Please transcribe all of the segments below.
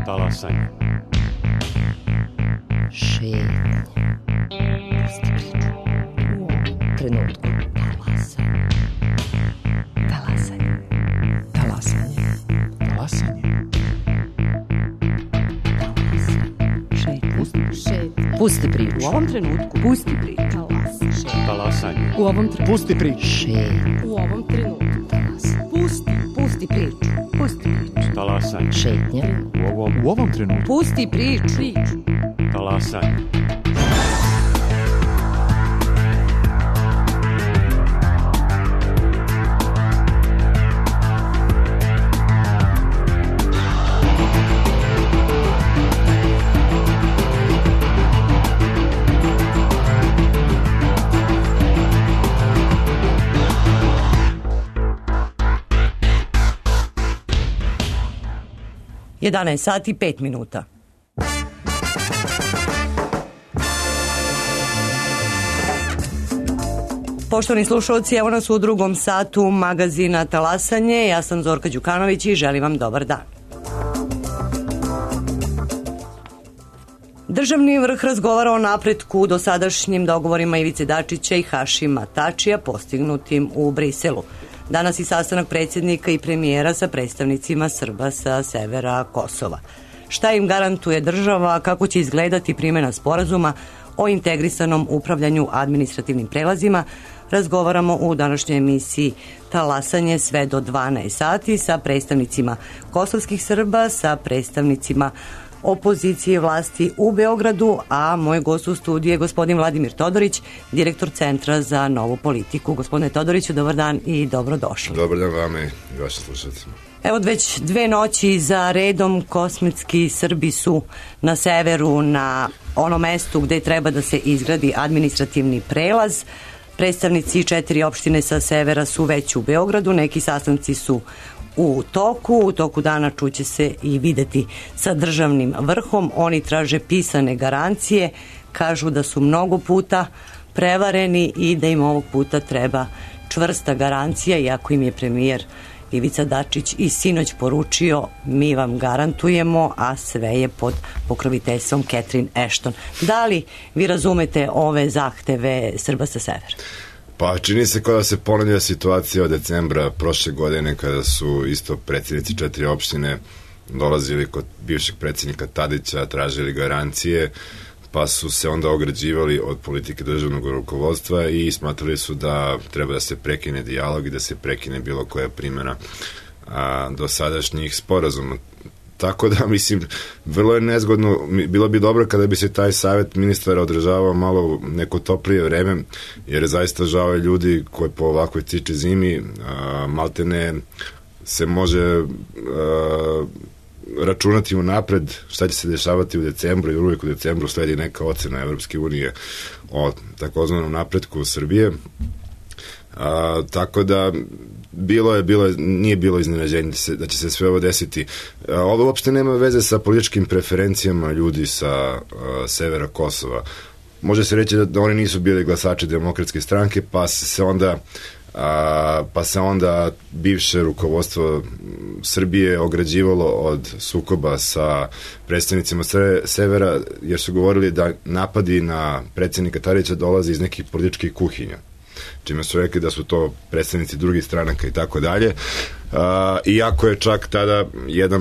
Talasanje. Šetnje. Pusti priču. U ovom trenutku. Talasanje. Talasanje. Talasanje. Šetnje. Pusti priču. U ovom trenutku. Pusti priču. Talasanje. U ovom trenutku. Pusti priču. Šetnje. U ovom trenutku. Pusti priču. Pusti priču. Talasanje. Šetnje. U ovom trenutku. Pusti priču. Talasanje. Jedanaest sati i 5 minuta. Poštovani slušalci, evo nas u drugom satu magazina Talasanje. Ja sam Zorka Đukanović i želim vam dobar dan. Državni vrh razgovara o napretku u dosadašnjim dogovorima Ivice Dačića i Hašima Tačija postignutim u Briselu. Danas i sastanak predsjednika i premijera sa predstavnicima Srba sa severa Kosova. Šta im garantuje država, kako će izgledati primjena sporazuma o integrisanom upravljanju administrativnim prelazima, razgovaramo u današnjoj emisiji Talasanje sve do 12 sati sa predstavnicima kosovskih Srba, sa predstavnicima opozicije vlasti u Beogradu, a moj gost u studiju je gospodin Vladimir Todorić, direktor Centra za novu politiku. Gospodine Todoriću, dobar dan i dobrodošli. Dobar dan vama i vašim slušateljima. Evo već 2 noći za redom kosmetski Srbi su na severu, na onom mestu gde treba da se izgradi administrativni prelaz. Predstavnici 4 opštine sa severa su već u Beogradu, neki sastanci su u toku dana čuće se i videti sa državnim vrhom. Oni traže pisane garancije, kažu da su mnogo puta prevareni i da im ovog puta treba čvrsta garancija, iako im je premijer Ivica Dačić i sinoć poručio mi vam garantujemo, a sve je pod pokroviteljstvom Catherine Ashton. Da li vi razumete ove zahteve Srba sa severa? Pa čini se kao da se ponavlja situacija od decembra prošle godine kada su isto predsjednici 4 opštine dolazili kod bivšeg predsjednika Tadića, tražili garancije, pa su se onda ograđivali od politike državnog rukovodstva i smatrali su da treba da se prekine dijalog i da se prekine bilo koja primjena do sadašnjih sporazuma. Tako da, mislim, vrlo je nezgodno, bilo bi dobro kada bi se taj savjet ministara održavao malo neko toplije vreme, jer je zaista žao ljudi koji po ovakvoj ciče zimi maltene se može računati unapred šta će se dešavati u decembru i uvijek u decembru sledi neka ocena Evropske unije o takozvanom napretku Srbije. Tako da nije bilo iznenađenje da će se sve ovo desiti. Ovo uopšte nema veze sa političkim preferencijama ljudi sa severa Kosova. Može se reći da oni nisu bili glasači Demokratske stranke, pa se onda bivše rukovodstvo Srbije ograđivalo od sukoba sa predstavnicima severa, jer su govorili da napadi na predsjednika Tadića dolaze iz nekih političkih kuhinja, čime su rekli da su to predstavnici drugih stranaka i tako dalje. Iako je čak tada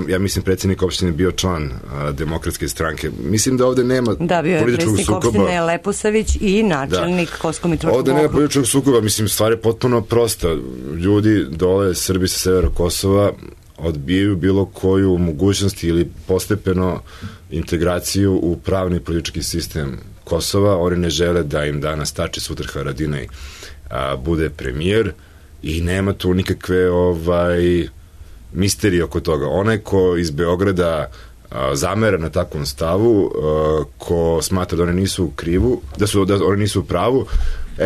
ja mislim predsjednik opštine bio član Demokratske stranke. Mislim da ovde nema političkog sukoba. Da, bio je predsjednik opštine Leposavić i načelnik Kosovsko-Mitrovičkog okruga. Ovde nema političkog sukoba, mislim, stvar je potpuno prosta. Ljudi dole, Srbi sa severa Kosova, odbijaju bilo koju mogućnost ili postepeno integraciju u pravni politički sistem Kosova. Oni ne žele da im danas Tači, sutra Haradinaj bude premijer i nema tu nikakve misterije oko toga. Onaj ko iz Beograda zamera na takvom stavu, ko smatra da oni nisu u krivu, da oni nisu u pravu,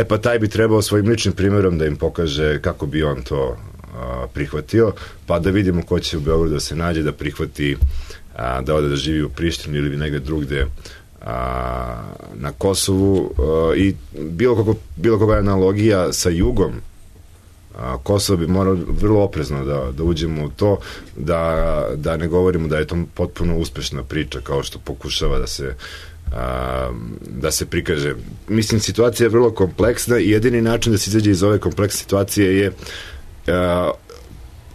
pa taj bi trebao svojim ličnim primjerom da im pokaže kako bi on to prihvatio, pa da vidimo ko će u Beogradu da se nađe, da prihvati da ode da živi u Prištini ili negde drugde na Kosovu, i bilo kakva analogija sa jugom Kosovo bi moralo vrlo oprezno da uđemo u to, da ne govorimo da je to potpuno uspešna priča kao što pokušava da se prikaže. Mislim, situacija je vrlo kompleksna i jedini način da se izađe iz ove kompleksne situacije je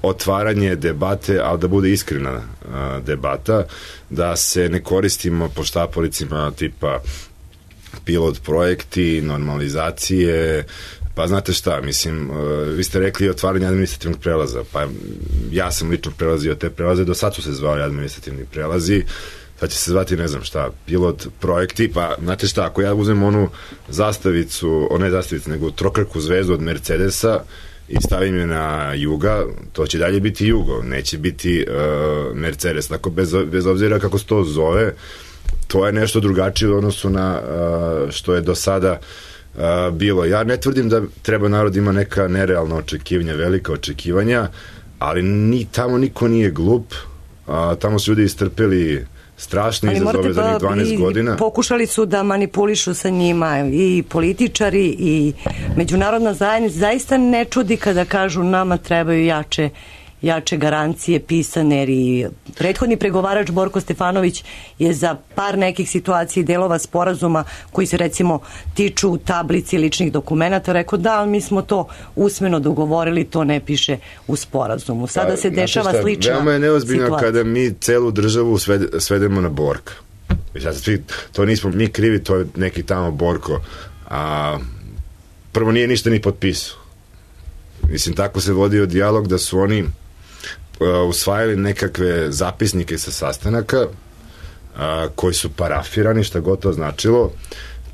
otvaranje debate, ali da bude iskrena debata, da se ne koristimo poštapolicima tipa pilot projekti, normalizacije, pa znate šta, mislim, vi ste rekli otvaranje administrativnog prelaza, pa ja sam lično prelazio te prelaze, do sad su se zvali administrativni prelazi, sad će se zvati, ne znam šta, pilot projekti, pa znate šta, ako ja uzmem onu zastavicu, ne zastavicu, nego trokrku zvezdu od Mercedesa i stavim je na Juga, to će dalje biti Jugo, neće biti Mercedes, tako bez obzira kako se to zove, to je nešto drugačije u odnosu na što je do sada bilo. Ja ne tvrdim da treba narod ima neka nerealna očekivanja, velika očekivanja, ali tamo niko nije glup, tamo su ljudi istrpeli strašne izazove za njih 12 godina. Pokušali su da manipulišu sa njima i političari i međunarodna zajednica. Zaista ne čudi kada kažu nama trebaju jače garancije pisane, jer i prethodni pregovarač Borko Stefanović je za par nekih situacija i delova sporazuma koji se recimo tiču tablici ličnih dokumenata rekao da, mi smo to usmeno dogovorili, to ne piše u sporazumu. Sada se dešava slična situacija. Veoma je neozbiljno kada mi celu državu svedemo na Borka. To nismo mi krivi, to je neki tamo Borko. Prvo nije ništa ni potpisao. Mislim, tako se vodio dijalog da su oni usvajali nekakve zapisnike sa sastanaka koji su parafirani, šta god to značilo.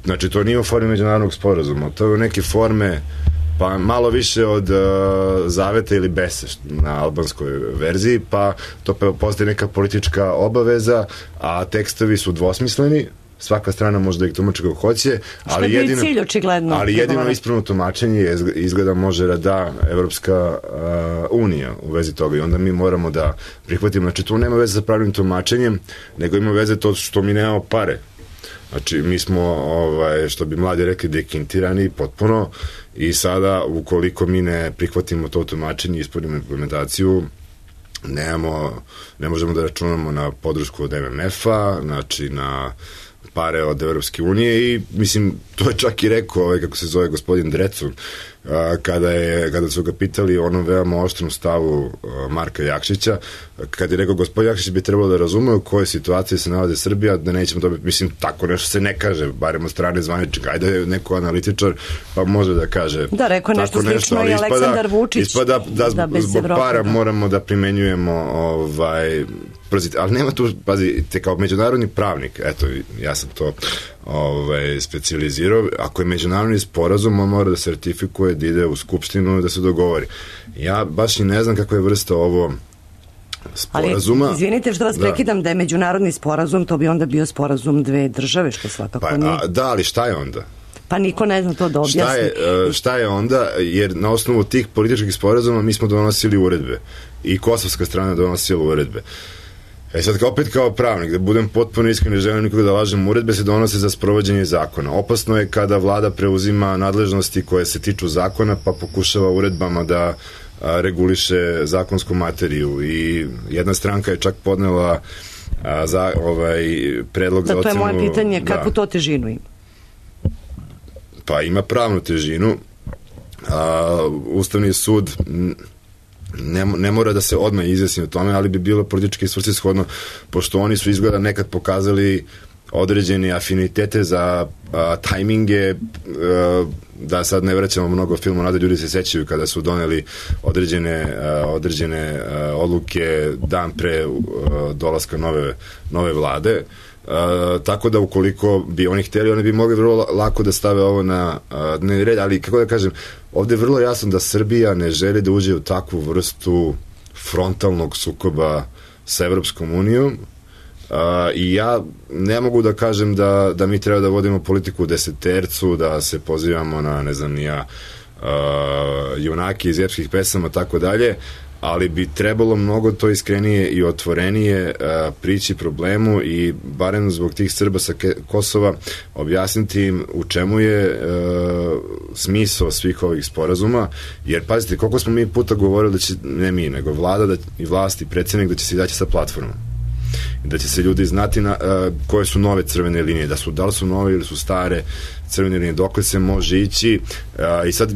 Znači, to nije u formi međunarodnog sporazuma, to je u neke forme pa malo više od zaveta ili bese na albanskoj verziji, pa to postaje neka politička obaveza, a tekstovi su dvosmisleni, svaka strana može da ih tumači kako hoće, ali jedino ispravno tumačenje izgleda može da da Evropska unija u vezi toga i onda mi moramo da prihvatimo. Znači, tu nema veze sa pravnim tumačenjem, nego ima veze to što mi nemamo pare. Znači, mi smo, što bi mladi rekli, dekintirani potpuno i sada, ukoliko mi ne prihvatimo to tumačenje i ispunimo implementaciju, ne možemo da računamo na podršku od MMF-a, znači na pare od Evropske unije i mislim, to je čak i rekao kako se zove gospodin Drecun kada su ga pitali o onom veoma oštrom stavu Marka Jakšića, kad je rekao gospodin Jakšić bi trebalo da razume u kojoj situaciji se nalazi Srbija, da nećemo dobiti, mislim, tako nešto se ne kaže, barem od strane zvaničnika, ajde je neko analitičar pa može da kaže da, rekao nešto slično i Aleksandar Vučić ispada da zbog para moramo da primenjujemo ali nema tu, pazite, kao međunarodni pravnik, eto, ja sam to specijalizirao, ako je međunarodni sporazum, on mora da se ratifikuje, da ide u skupštinu, da se dogovori. Ja baš i ne znam kakva je vrsta ovo sporazuma. Ali, izvinite što vas prekidam, da je međunarodni sporazum, to bi onda bio sporazum dve države, što svakako nije. Da, ali šta je onda? Pa niko ne zna to da objasni. Šta je onda, jer na osnovu tih političkih sporazuma mi smo donosili uredbe i kosovska strana donosila uredbe. Sad opet kao pravnik, da budem potpuno iskren, ne želim nikoga da lažem, uredbe se donose za sprovođenje zakona. Opasno je kada vlada preuzima nadležnosti koje se tiču zakona pa pokušava uredbama da reguliše zakonsku materiju i jedna stranka je čak podnela predlog za ocenu. To je moje pitanje, kakvu to težinu ima? Pa ima pravnu težinu. Ustavni sud ne mora da se odmah izjasni o tome, ali bi bilo politički svrsishodno, pošto oni su izgleda nekad pokazali određene afinitete za tajminge, da sad ne vraćamo mnogo filmu, nada ljudi se sećaju kada su doneli određene odluke dan pre dolaska nove vlade. Tako da ukoliko bi oni hteli, oni bi mogli vrlo lako da stave ovo na dnevni red, ali kako da kažem, ovde je vrlo jasno da Srbija ne želi da uđe u takvu vrstu frontalnog sukoba sa Evropskom unijom i ja ne mogu da kažem da mi treba da vodimo politiku u desetercu, da se pozivamo na, ne znam, junake iz epskih pesama, tako dalje, ali bi trebalo mnogo to iskrenije i otvorenije prići problemu i barem zbog tih Srba sa Kosova objasniti im u čemu je smisao svih ovih sporazuma, jer pazite, koliko smo mi puta govorili da će, ne mi, nego vlada i vlast i predsjednik da će se izaći sa platformom, da će se ljudi znati koje su nove crvene linije, da li su nove ili su stare crvene linije, dokle se može ići. I sad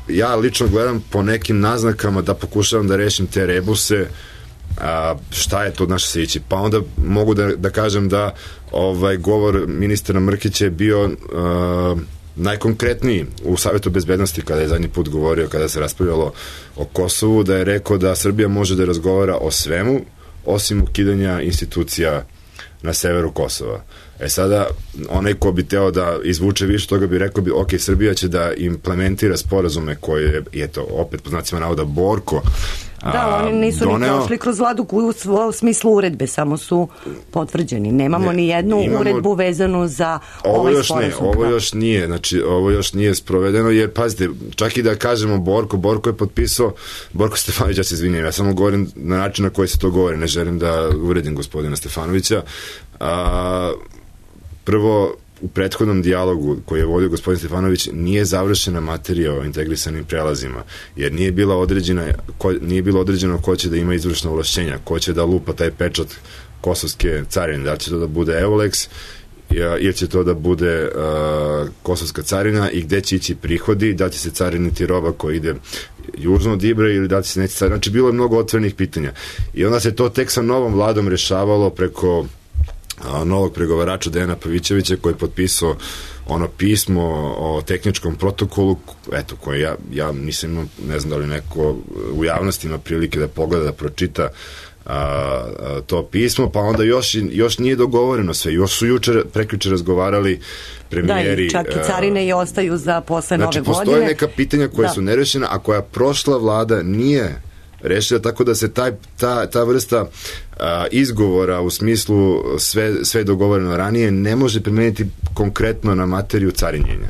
ja lično gledam po nekim naznakama da pokušavam da rešim te rebuse, šta je to naše se ići. Pa onda mogu da kažem da govor ministra Mrkića je bio najkonkretniji u Savetu bezbednosti kada je zadnji put govorio, kada se raspravljalo o Kosovu, da je rekao da Srbija može da razgovara o svemu osim ukidanja institucija na severu Kosova. Sada, onaj ko bi teo da izvuče više toga bi rekao ok, Srbija će da implementira sporazume koje je to, opet po znacima navoda, Borko oni nisu ni prošli kroz vladu u smislu uredbe, samo su potvrđeni. Nemamo ni jednu uredbu vezanu za ovaj sporazum. Ovo još nije sprovedeno, jer pazite, čak i da kažemo Borko je potpisao, Borko Stefanović, ja se izvinjam, ja samo govorim na način na koji se to govori, ne želim da uvredim gospodina Stefanovića. Prvo, u prethodnom dijalogu koji je vodio gospodin Stefanović nije završena materija o integrisanim prelazima, jer nije bilo određeno ko će da ima izvršna ovlašćenja, ko će da lupa taj pečat kosovske carine, da li će to da bude Eulex ili će to da bude kosovska carina i gde će ići prihodi, da li će se cariniti roba koja ide južno od Ibra ili da li će se neće cariniti. Znači, bilo je mnogo otvorenih pitanja. I onda se to tek sa novom vladom rešavalo preko novog pregovarača Dejana Pavićevića koji je potpisao ono pismo o tehničkom protokolu, eto, koje ja nisam imao, ne znam da li neko u javnosti ima prilike da pogleda, da pročita to pismo, pa onda još nije dogovoreno sve, još su prekjuče razgovarali premijeri. Da, čak i carine i ostaju za posle nove godine. Znači, postoje neka pitanja koja su nerešena, a koja prošla vlada nije rešila, tako da se ta vrsta izgovora u smislu sve dogovoreno ranije ne može primeniti konkretno na materiju carinjenja.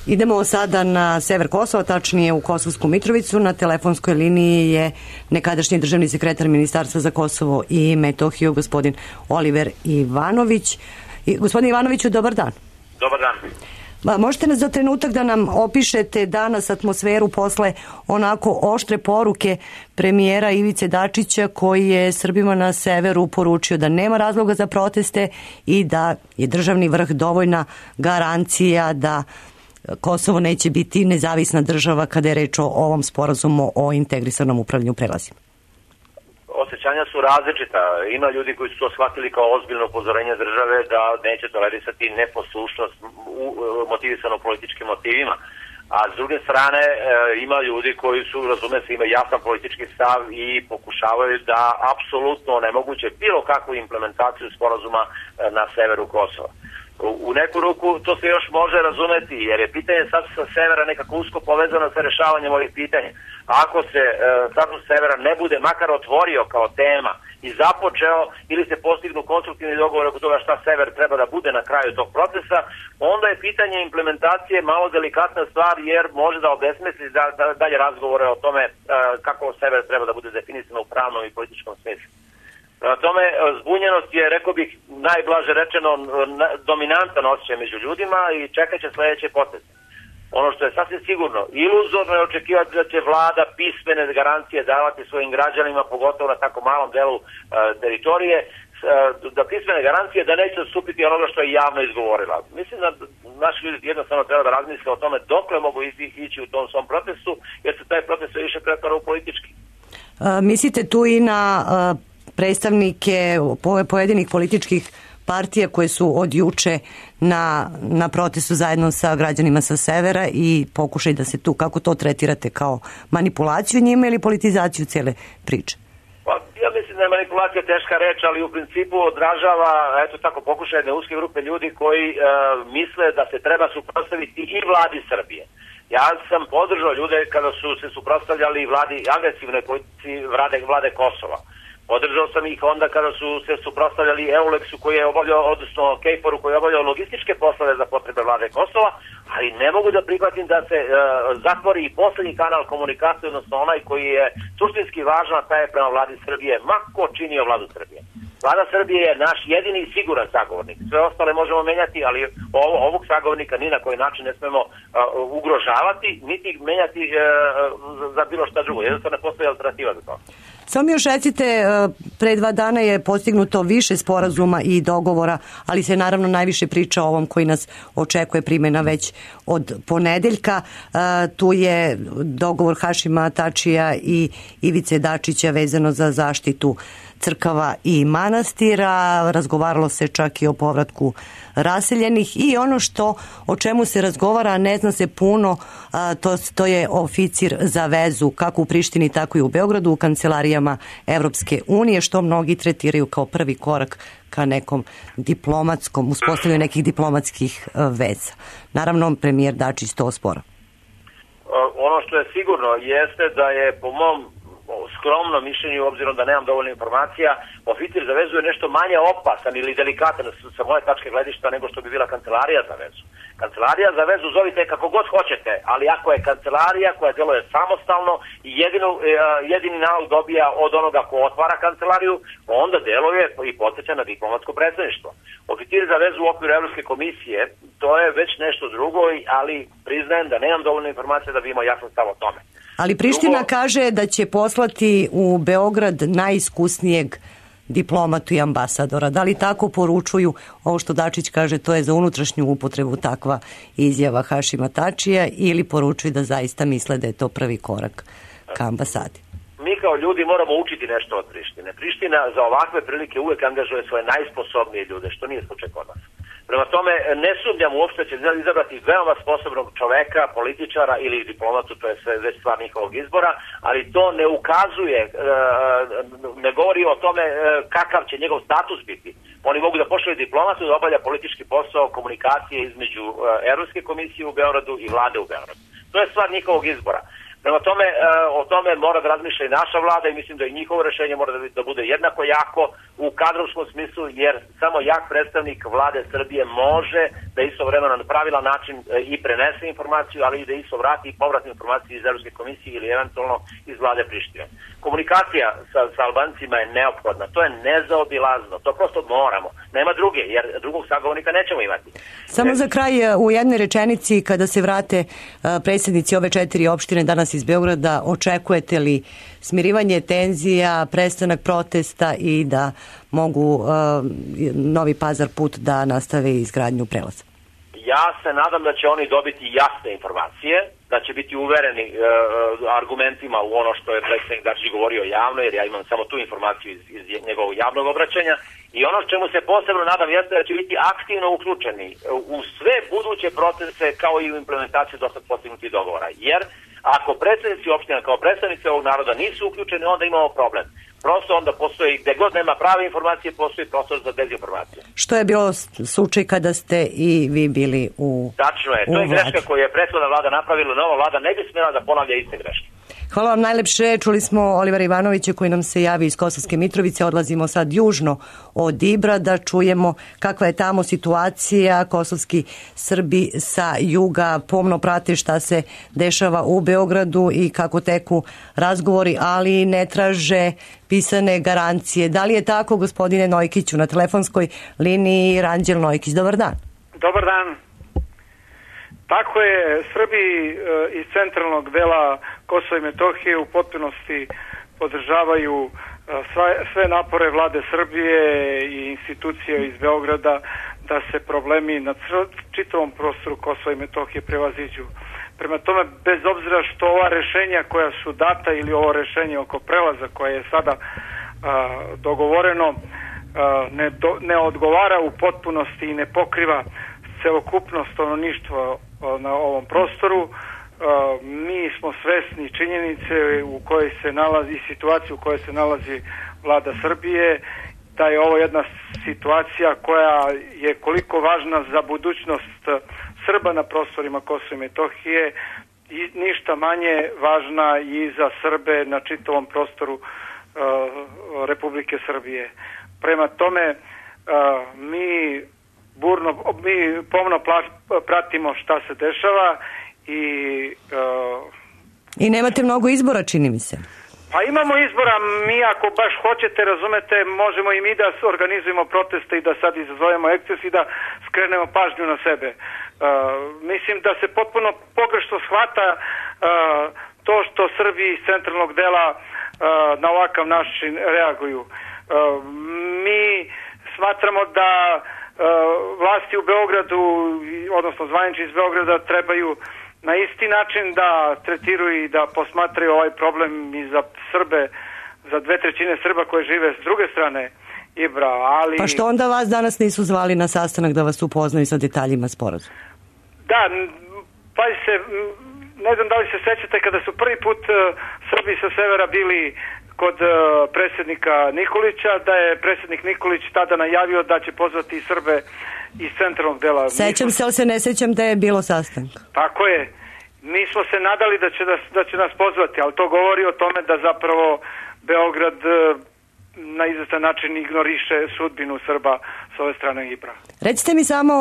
Idemo sada na sever Kosova, tačnije u Kosovsku Mitrovicu. Na telefonskoj liniji je nekadašnji državni sekretar Ministarstva za Kosovo i Metohiju, gospodin Oliver Ivanović. Gospodin Ivanoviću, dobar dan. Dobar dan. Možete nas za trenutak da nam opišete danas atmosferu posle onako oštre poruke premijera Ivice Dačića koji je Srbima na severu poručio da nema razloga za proteste i da je državni vrh dovoljna garancija da Kosovo neće biti nezavisna država kada je reč o ovom sporazumu o integrisanom upravljanju prelazima? Osjećanja su različita. Ima ljudi koji su to shvatili kao ozbiljno upozorenje države da neće tolerisati neposlušnost motivisano političkim motivima. A s druge strane ima ljudi koji su, razume se, imaju jasan politički stav i pokušavaju da apsolutno onemoguće bilo kakvu implementaciju sporazuma na severu Kosova. U neku ruku to se još može razumeti, jer je pitanje sad sa severa nekako usko povezano sa rešavanjem ovih pitanja. Ako se status severa ne bude makar otvorio kao tema i započeo ili se postignu konstruktivni dogovor oko toga šta sever treba da bude na kraju tog procesa, onda je pitanje implementacije malo delikatna stvar, jer može da obesmisli dalje razgovore o tome kako sever treba da bude definisano u pravnom i političkom smislu. Na tome zbunjenost je, rekao bih, najblaže rečeno dominantan osjećaj među ljudima i čekat će sledeće poteze. Ono što je sasvim sigurno, iluzorno je očekivati da će vlada pismene garancije davati svojim građanima, pogotovo na tako malom delu teritorije, da pismene garancije da neće odstupiti onoga što je javno izgovorila. Mislim da naši ljudi jednostavno treba da razmisle o tome dokle mogu ići u tom svom protestu, jer se taj protest više pretvara u politički. Mislite tu i na predstavnike pojedinih političkih partija koje su od juče na protestu zajedno sa građanima sa severa i pokušaj da se tu, kako to tretirate, kao manipulaciju njima ili politizaciju cijele priče? Pa, ja mislim da je manipulacija teška reč, ali u principu odražava, eto tako, pokušaj jedne uske grupe ljudi koji misle da se treba suprotstaviti i vladi Srbije. Ja sam podržao ljude kada su se suprotstavljali vladi, agresivnoj politici vlade Kosova. Podržao sam ih onda kada su se suprotstavljali Eulexu koji je obavljao, odnosno Kejforu koji je obavljao logističke poslove za potrebe vlade Kosova, ali ne mogu da prihvatim da se zatvori i poslednji kanal komunikacije, odnosno onaj koji je suštinski važan, a taj je prema vladi Srbije, ma ko činio vladu Srbije. Vlada Srbije je naš jedini i siguran sagovornik. Sve ostale možemo menjati, ali ovog sagovornika ni na koji način ne smemo ugrožavati, niti menjati za bilo šta drugo. Jednostavno ne postoji alternativa za to. Samo još recite, pre 2 dana je postignuto više sporazuma i dogovora, ali se naravno najviše priča o ovom koji nas očekuje primjena već od ponedeljka. Tu je dogovor Hašima Tačija i Ivice Dačića vezano za zaštitu crkava i manastira, razgovaralo se čak i o povratku raseljenih i ono o čemu se razgovara, ne zna se puno, to je oficir za vezu kako u Prištini tako i u Beogradu u kancelarijama Evropske unije, što mnogi tretiraju kao prvi korak ka nekom diplomatskom, uspostavljanju nekih diplomatskih veza. Naravno, premijer Dačić to ospora. Ono što je sigurno jeste da je po mom skromno mišljenju, obzirom da nemam dovoljno informacija, oficir za vezu je nešto manje opasan ili delikatan sa moje tačke gledišta nego što bi bila kancelarija za vezu. Kancelarija za vezu zovite kako god hoćete, ali ako je kancelarija koja deluje samostalno i jedini nalog dobija od onoga ko otvara kancelariju, onda deluje i podsjeća na diplomatsko predstavništvo. Oficir za vezu u okviru Evropske komisije, to je već nešto drugo, ali priznajem da nemam dovoljno informacija da bi imao jasan stav o tome. Ali Priština kaže da će poslati u Beograd najiskusnijeg diplomatu i ambasadora. Da li tako poručuju ovo što Dačić kaže, to je za unutrašnju upotrebu takva izjava Hašima Tačija, ili poručuju da zaista misle da je to prvi korak ka ambasadi? Mi kao ljudi moramo učiti nešto od Prištine. Priština za ovakve prilike uvek angažuje svoje najsposobnije ljude, što nije slučaj kod nas. Prema tome, ne sumnjam uopšte će izabrati veoma sposobnog čoveka, političara ili diplomatu, to je sve već stvar njihovog izbora, ali to ne ukazuje, ne govori o tome kakav će njegov status biti. Oni mogu da pošalju diplomatu da obavlja politički posao komunikacije između Evropske komisije u Beogradu i vlade u Beogradu. To je stvar njihovog izbora. Prema tome, o tome mora da razmišlja i naša vlada i mislim da i njihovo rešenje mora da bude jednako jako u kadrovskom smislu, jer samo jak predstavnik vlade Srbije može da istovremeno na pravilan način i prenese informaciju, ali i da isto vrati i povratnu informaciju iz Evropske komisije ili eventualno iz vlade Prištine. Komunikacija sa Albancima je neophodna, to je nezaobilazno, to prosto moramo. Nema druge, jer drugog sagovornika nećemo imati. Samo za kraj, u jednoj rečenici, kada se vrate predsjednici ove 4 opštine danas iz Beograda, očekujete li smirivanje tenzija, prestanak protesta i da mogu Novi Pazar put da nastave izgradnju prelaza? Ja se nadam da će oni dobiti jasne informacije, da će biti uvereni argumentima u ono što je predsjednik Dačić govorio javno, jer ja imam samo tu informaciju iz njegovog javnog obraćanja. I ono čemu se posebno nadam jeste da će biti aktivno uključeni u sve buduće procese kao i u implementaciju do sad postignutih dogovora. Jer ako predsjednici opština kao predstavnici ovog naroda nisu uključeni, onda imamo problem. Prosto onda postoji, gde god nema prave informacije, postoji prostor za dezinformacije. Što je bilo slučaj kada ste i vi bili u Tačno je, to je greška koju je prethodna vlada napravila, nova vlada ne bi smjela da ponavlja iste greške. Hvala vam najlepše. Čuli smo Olivera Ivanovića koji nam se javi iz Kosovske Mitrovice. Odlazimo sad južno od Ibra da čujemo kakva je tamo situacija. Kosovski Srbi sa juga pomno prate šta se dešava u Beogradu i kako teku razgovori, ali ne traže pisane garancije. Da li je tako, gospodine Nojkiću? Na telefonskoj liniji Ranđel Nojkić. Dobar dan. Dobar dan. Tako je, Srbi iz centralnog dela Kosova i Metohije u potpunosti podržavaju sve napore vlade Srbije i institucije iz Beograda da se problemi na čitavom prostoru Kosova i Metohije prevaziđu. Prema tome, bez obzira što ova rešenja koja su data ili ovo rešenje oko prelaza koje je sada dogovoreno ne odgovara u potpunosti i ne pokriva celokupno stanovništvo na ovom prostoru, mi smo svesni činjenice u kojoj se nalazi i situaciju u kojoj se nalazi vlada Srbije, da je ovo jedna situacija koja je koliko važna za budućnost Srba na prostorima Kosova i Metohije i ništa manje važna i za Srbe na čitavom prostoru Republike Srbije. Prema tome, mi mi pomno pratimo šta se dešava i nemate mnogo izbora, čini mi se. Pa imamo izbora, mi ako baš hoćete, razumete, možemo i mi da organizujemo proteste i da sad izazovemo eksces i da skrenemo pažnju na sebe. Mislim da se potpuno pogrešno shvata to što Srbi iz centralnog dela na ovakav način reaguju. Mi smatramo da vlasti u Beogradu, odnosno zvanični iz Beograda, trebaju na isti način da tretiraju i da posmatraju ovaj problem i za Srbe, za 2/3 Srba koje žive s druge strane Ibra, ali... Pa što onda vas danas nisu zvali na sastanak da vas upoznaju sa detaljima sporazuma? Da, pa se, ne znam da li se sećate kada su prvi put Srbi sa severa bili kod predsjednika Nikolića, da je predsjednik Nikolić tada najavio da će pozvati Srbe iz centralnog dela. Sećam se, ali se ne sećam da je bilo sastanka. Tako je. Mi smo se nadali da će nas pozvati, ali to govori o tome da zapravo Beograd na izvestan način ignoriše sudbinu Srba s ove strane Ibra. Recite mi samo,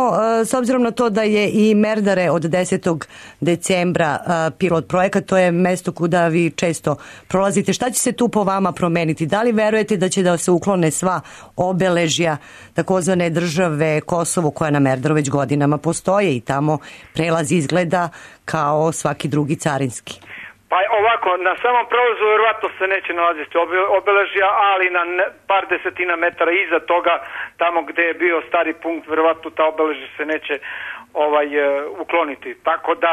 s obzirom na to da je i Merdare od 10. decembra pilot projekat, to je mesto kuda vi često prolazite, šta će se tu po vama promeniti? Da li verujete da će da se uklone sva obeležja takozvane države Kosovo koja na Merdaru već godinama postoje i tamo prelaz izgleda kao svaki drugi carinski? Pa ovako, na samom prolazu vjerovatno se neće nalaziti obeležja, ali na par desetina metara iza toga, tamo gde je bio stari punkt, vjerovatno ta obeležja se neće ukloniti. Tako da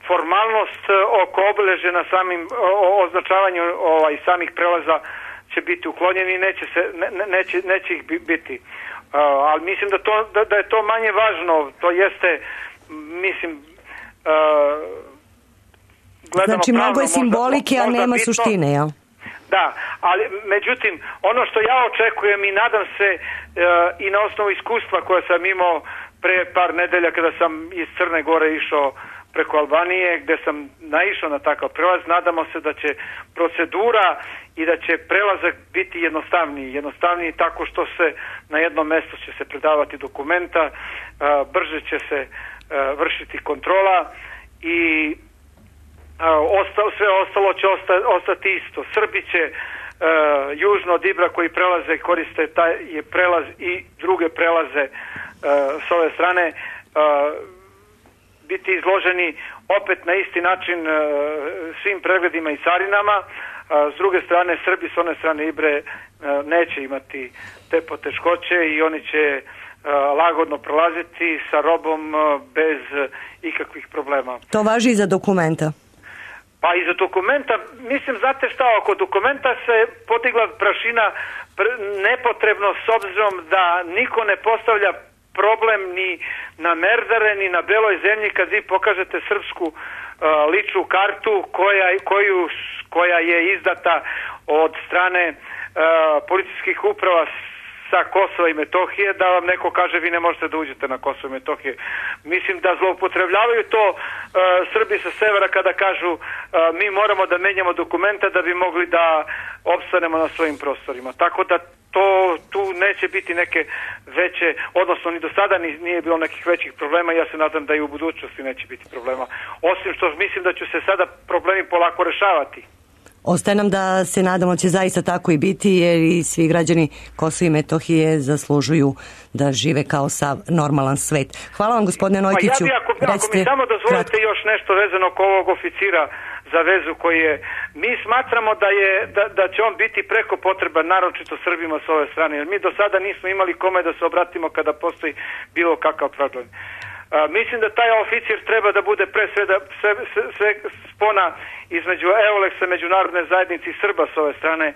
formalnost oko obeležja na samim označavanju samih prelaza će biti uklonjeni i neće ih biti. Ali mislim da je to manje važno, to jeste, mislim... Znači mnogo je simbolike, a nema suštine, jel? Da, ali međutim, ono što ja očekujem i nadam se i na osnovu iskustva koje sam imao pre par nedelja kada sam iz Crne Gore išao preko Albanije, gde sam naišao na takav prelaz, nadamo se da će procedura i da će prelazak biti jednostavniji tako što se na jednom mjestu će se predavati dokumenta, brže će se vršiti kontrola i sve ostalo će ostati isto. Srbi će južno od Ibra koji prelaze koriste taj je prelaz i druge prelaze s ove strane biti izloženi opet na isti način svim pregledima i carinama. S druge strane Srbi s one strane Ibre neće imati te poteškoće i oni će lagodno prolaziti sa robom bez ikakvih problema. To važi i za dokumenta? Pa i za dokumenta, mislim, znate šta, oko dokumenta se podigla prašina nepotrebno s obzirom da niko ne postavlja problem ni na Merdare, ni na Beloj zemlji kad vi pokažete srpsku ličnu kartu koja je izdata od strane policijskih uprava sa Kosova i Metohije, da vam neko kaže vi ne možete da uđete na Kosovo i Metohije. Mislim da zloupotrebljavaju to Srbi sa severa kada kažu mi moramo da menjamo dokumenta da bi mogli da opstanemo na svojim prostorima. Tako da tu neće biti neke veće, odnosno ni do sada nije bilo nekih većih problema i ja se nadam da i u budućnosti neće biti problema. Osim što mislim da će se sada problemi polako rešavati. Ostaje nam da se nadamo će zaista tako i biti, jer i svi građani Kosova i Metohije zaslužuju da žive kao sav normalan svet. Hvala vam, gospodine Nojkiću. Ja bi, ako mi samo dozvolite još nešto vezano oko ovog oficira za vezu koji je, mi smatramo da će on biti preko potreban, naročito Srbima s ove strane, jer mi do sada nismo imali kome da se obratimo kada postoji bilo kakav problem. Mislim da taj oficir treba da bude pre sve spona između EOLEX-a, međunarodne zajednice i Srba s ove strane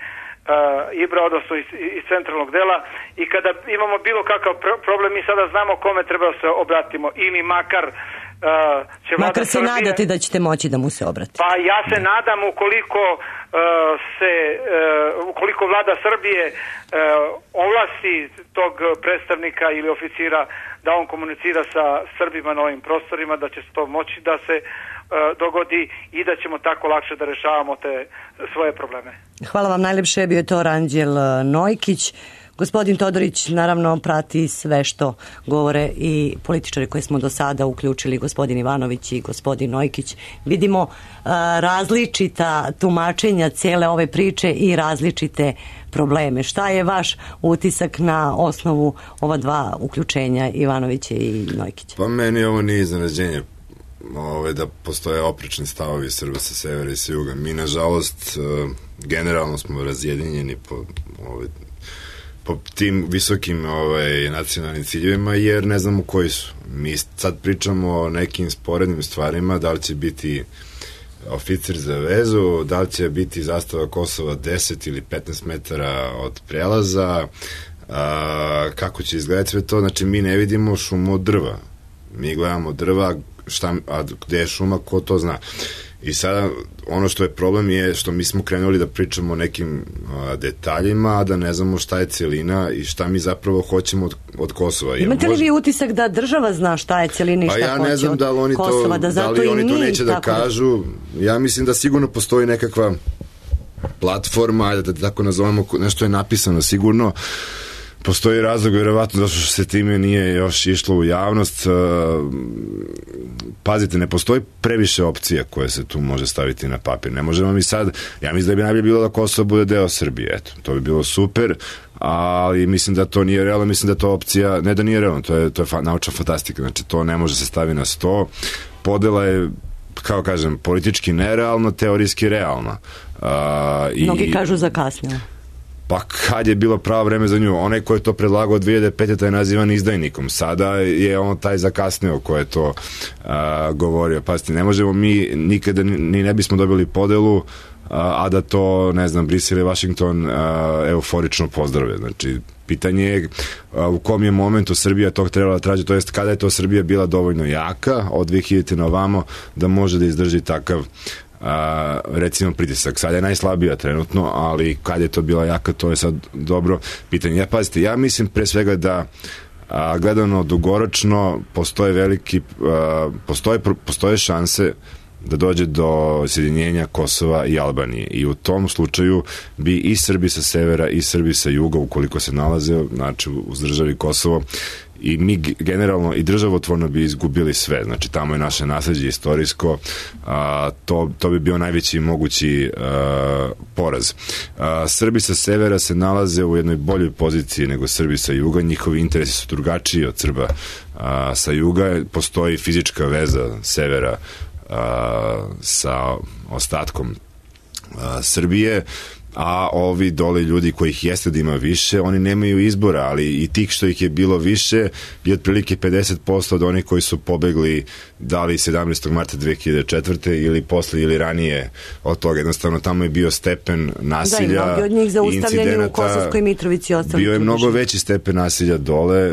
Ibra, odnosno iz centralnog dela, i kada imamo bilo kakav problem mi sada znamo kome treba da se obratimo, ili makar će vlada Makar se Srbije... nadate da ćete moći da mu se obratite. Pa ja se nadam ukoliko vlada Srbije ovlasti tog predstavnika ili oficira da on komunicira sa Srbima na ovim prostorima, da će to moći da se dogodi i da ćemo tako lakše da rešavamo te svoje probleme. Hvala vam najlepše, bio je to Ranđel Nojkić, Gospodin Todorić naravno prati sve što govore i političari koje smo do sada uključili, gospodin Ivanović i gospodin Nojkić. Vidimo različita tumačenja cijele ove priče i različite probleme. Šta je vaš utisak na osnovu ova dva uključenja, Ivanovića i Nojkića? Pa meni ovo nije iznenađenje da postoje oprečni stavovi Srba sa severa i sa juga. Mi, nažalost, generalno smo razjedinjeni po tim visokim nacionalnim ciljevima, jer ne znamo koji su. Mi sad pričamo o nekim sporednim stvarima, da li će biti oficir za vezu, da li će biti zastava Kosova 10 ili 15 metara od prelaza, kako će izgledati sve to. Znači, mi ne vidimo šumu od drva. Mi gledamo drva, a gde je šuma, ko to zna. I sada ono što je problem je što mi smo krenuli da pričamo o nekim detaljima, a da ne znamo šta je celina i šta mi zapravo hoćemo od Kosova. Imate li vi utisak da država zna šta je celina i šta ja ne znam da li oni Kosova, oni to neće da kažu. Ja mislim da sigurno postoji nekakva platforma, da tako nazovemo, nešto je napisano sigurno. Postoji razlog, vjerovatno, zašto se time nije još išlo u javnost. Pazite, ne postoji previše opcija koje se tu može staviti na papir. Ne možemo mi sad, ja mislim da bi najbolje bilo da Kosovo bude deo Srbije. Eto, to bi bilo super, ali mislim da to nije realno, mislim da to opcija, ne da nije realno, to je naučna fantastika, znači to ne može se staviti na sto. Podela je, kao kažem, politički nerealno, teorijski realno. Mnogi kažu zakasnilo. Pa kad je bilo pravo vreme za nju? Onaj ko je to predlagao 2005. taj je nazivan izdajnikom. Sada je on taj zakasnio ko je to govorio. Pazite, ne možemo mi nikada ni ne bismo dobili podelu, a da to, ne znam, Brisel i Washington euforično pozdrave. Znači, pitanje je u kom je momentu Srbija tog trebala traži, to jest kada je to Srbija bila dovoljno jaka od 2000. na ovamo da može da izdrži takav recimo pritisak. Sad je najslabija trenutno, ali kad je to bila jaka, to je sad dobro pitanje. Pazite, ja mislim pre svega da gledano dugoročno postoje šanse da dođe do sjedinjenja Kosova i Albanije i u tom slučaju bi i Srbi sa severa i Srbi sa juga, ukoliko se nalaze, znači uz državi Kosovo, i mi generalno i državotvorno bi izgubili sve, znači tamo je naše nasleđe istorijsko, to bi bio najveći mogući poraz. Srbi sa severa se nalaze u jednoj boljoj poziciji nego Srbi sa juga, njihovi interesi su drugačiji od Srba sa juga, postoji fizička veza severa sa ostatkom Srbije, a ovi dole ljudi kojih jeste da ima više, oni nemaju izbora, ali i tih što ih je bilo više je otprilike 50% od onih koji su pobegli da li 17. marta 2004. ili posle ili ranije od toga. Jednostavno tamo je bio stepen nasilja, mnogi od njih zaustavljeni u Kosovskoj Mitrovici. Bio je mnogo veći stepen nasilja dole,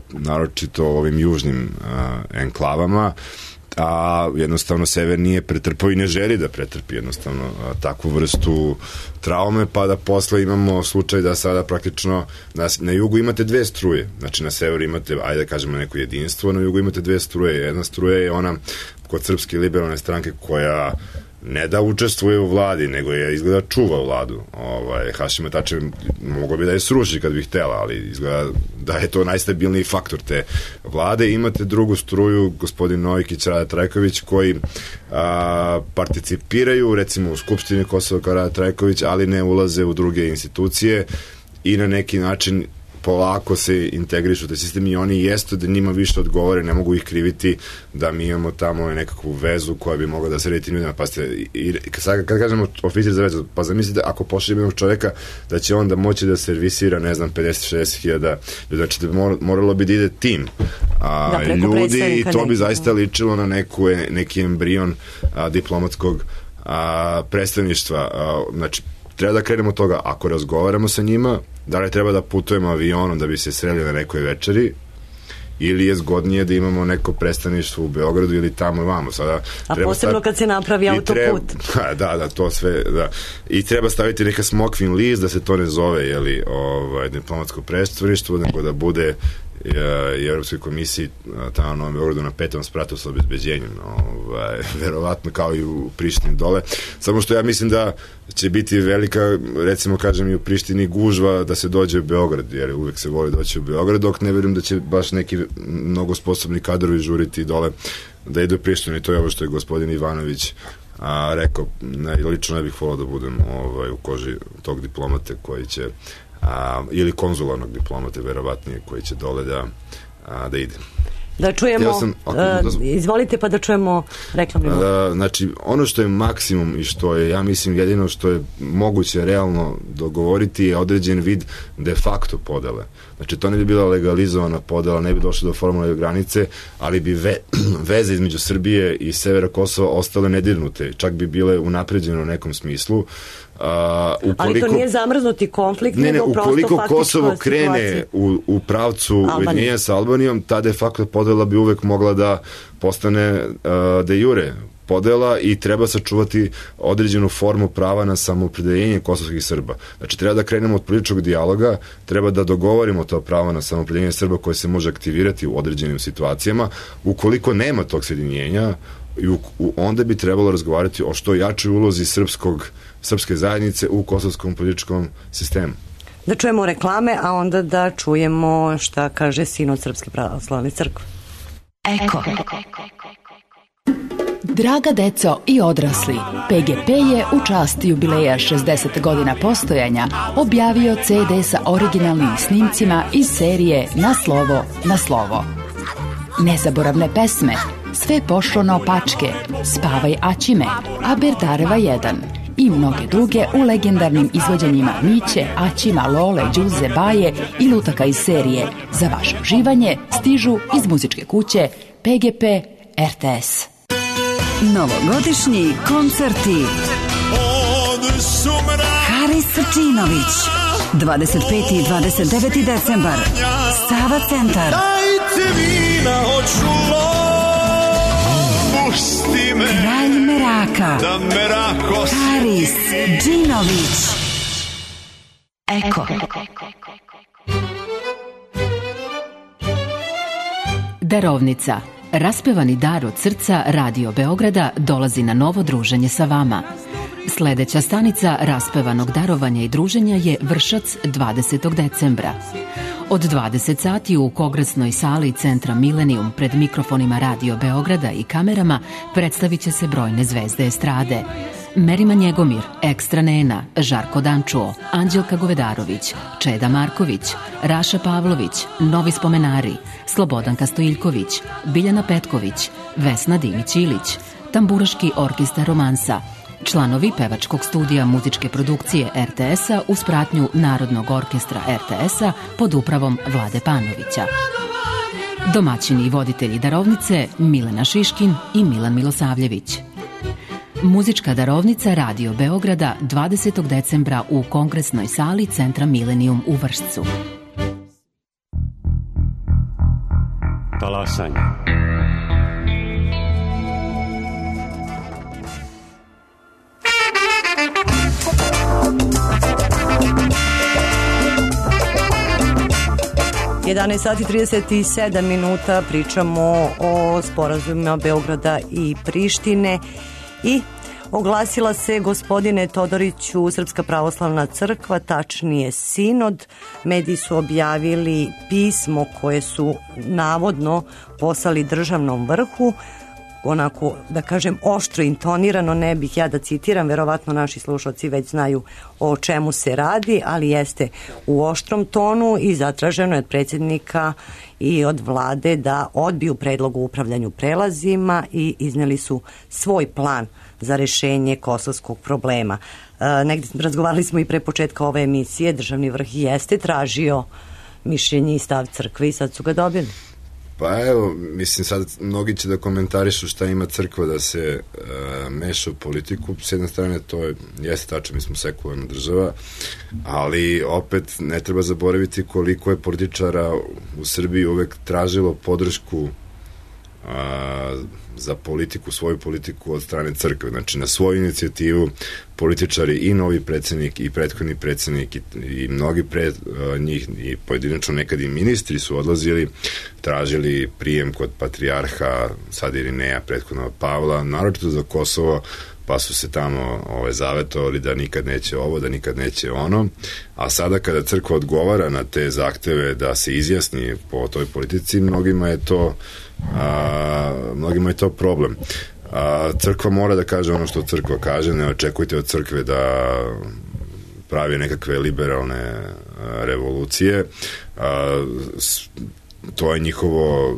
naročito u ovim južnim enklavama, a jednostavno sever nije pretrpao i ne želi da pretrpi jednostavno takvu vrstu traume, pa da posle imamo slučaj da sada praktično na jugu imate dve struje, znači na severu imate, ajde da kažemo, neko jedinstvo, na jugu imate dve struje. Jedna struja je ona kod Srpske liberalne stranke koja ne da učestvuje u vladi, nego je izgleda čuva vladu. Hašima Tačev mogao bi da je sruši kad bi htela, ali izgleda da je to najstabilniji faktor te vlade. Imate drugu struju, gospodin Nojkić, Rada Trajković, koji participiraju recimo u Skupštini Kosova kao Rada Trajković, ali ne ulaze u druge institucije i na neki način polako se integrišu u taj sistem i oni jeste da njima više odgovore, ne mogu ih kriviti da mi imamo tamo nekakvu vezu koja bi mogla da se redi tim ljudima. Kad kažemo oficir za vezu, pa zamislite ako pošaljemo jednog čoveka da će on da moći da servisira, ne znam, 50-60 hiljada ljudi, znači moralo bi da ide tim ljudi i to bi zaista ličilo na neki embrion diplomatskog predstavništva. Znači, treba da krenemo od toga, ako razgovaramo sa njima, da li treba da putujemo avionom da bi se sreli na nekoj večeri, ili je zgodnije da imamo neko predstavništvo u Beogradu ili tamo i vamo. Sada, posebno kad se napravi autoput. Da, to sve, da. I treba staviti neka smokvin list da se to ne zove, diplomatsko predstavništvo, nego da bude i Evropskoj komisiji tamo na Novom Beogradu na 5. spratu sa obezbeđenjem, verovatno kao i u Prištini dole, samo što ja mislim da će biti velika, recimo kažem i u Prištini, gužva da se dođe u Beograd, jer uvek se voli doći u Beograd, dok ne verujem da će baš neki mnogo sposobni kadrovi žuriti dole da idu u Prištinu, i to je ovo što je gospodin Ivanović rekao. Lično ne bih volao da budem u koži tog diplomate koji će ili konzularnog diplomate verovatnije koji će dole da ide. Da čujemo, izvolite pa da čujemo reklamni blok. Znači, ono što je maksimum i što je, ja mislim, jedino što je moguće realno dogovoriti je određen vid de facto podele. Znači, to ne bi bila legalizovana podela, ne bi došlo do formalne granice, ali bi veze između Srbije i severa Kosova ostale nedirnute, čak bi bile unapređene u nekom smislu. Ali to nije zamrznuti konflikt, nego ukoliko Kosovo krene u pravcu ujedinjenja sa Albanijom, ta de facto podela bi uvek mogla da postane de jure podela i treba sačuvati određenu formu prava na samoopredeljenje kosovskih Srba. Znači, treba da krenemo od političkog dijaloga, treba da dogovorimo to pravo na samoopredeljenje Srba koje se može aktivirati u određenim situacijama. Ukoliko nema tog sjedinjenja, onda bi trebalo razgovarati o što jačoj ulozi srpske zajednice u kosovskom političkom sistemu. Da čujemo reklame, a onda da čujemo šta kaže Sinod Srpske pravoslavne crkve. Eko. Draga deco i odrasli, PGP je u čast jubileja 60 godina postojanja objavio CD sa originalnim snimcima iz serije Na slovo, na slovo. Nezaboravne pesme, Sve pošlo naopačke, Spavaj Aćime, Aberdareva 1 i mnoge druge u legendarnim izvođenjima Miće, Aćima, Lole, Đuze, Baje i lutaka iz serije. Za vaše uživanje stižu iz muzičke kuće PGP RTS. Novogodišnji koncerti. Haris Srčinović, 25. i 29. decembar, Sava centar. Kralj Meraka, Haris Džinović. Eko. Darovnica. Raspevani dar od srca Radio Beograda dolazi na novo druženje sa vama. Sledeća stanica raspevanog darovanja i druženja je Vršac 20. decembra. Od 20 sati u kongresnoj sali Centra Milenijum pred mikrofonima Radio Beograda i kamerama predstavit će se brojne zvezde estrade. Merima Njegomir, Ekstra Nena, Žarko Dančuo, Anđelka Govedarović, Čeda Marković, Raša Pavlović, Novi spomenari, Slobodanka Stojiljković, Biljana Petković, Vesna Dimić-Ilić, Tamburaški orkestar Romansa, članovi pevačkog studija muzičke produkcije RTS-a uz pratnju Narodnog orkestra RTS-a pod upravom Vlade Panovića. Domaćini i voditelji darovnice Milena Šiškin i Milan Milosavljević. Muzička darovnica Radio Beograda 20. decembra u kongresnoj sali Centra Milenijum u Vršcu. Talasanje. Sati 37 minuta pričamo o sporazumima Beograda i Prištine i oglasila se, gospodine Todoriću, Srpska pravoslavna crkva, tačnije Sinod. Mediji su objavili pismo koje su navodno poslali državnom vrhu, onako, da kažem, oštro intonirano, ne bih ja da citiram, verovatno naši slušalci već znaju o čemu se radi, ali jeste u oštrom tonu i zatraženo je od predsjednika i od vlade da odbiju predlog o upravljanju prelazima i izneli su svoj plan za rešenje kosovskog problema. Negdje razgovarali smo i pre početka ove emisije, državni vrh jeste tražio mišljenje i stav crkve i sad su ga dobili. Pa evo, mislim, sad mnogi će da komentarišu šta ima crkva da se meša u politiku. S jedne strane to jeste tačno, mi smo sekularna država, ali opet ne treba zaboraviti koliko je političara u Srbiji uvek tražilo podršku za politiku, svoju politiku od strane crkve. Znači, na svoju inicijativu političari i novi predsjednik i prethodni predsjednik i mnogi pre njih i pojedinačno nekad i ministri su odlazili, tražili prijem kod patrijarha, sad Irineja, prethodnog Pavla, naročito za Kosovo, pa su se tamo zavetovali da nikad neće ovo, da nikad neće ono, a sada kada crkva odgovara na te zahteve da se izjasni po toj politici, mnogima je to problem. Crkva mora da kaže ono što crkva kaže, ne očekujte od crkve da pravi nekakve liberalne revolucije. To je njihovo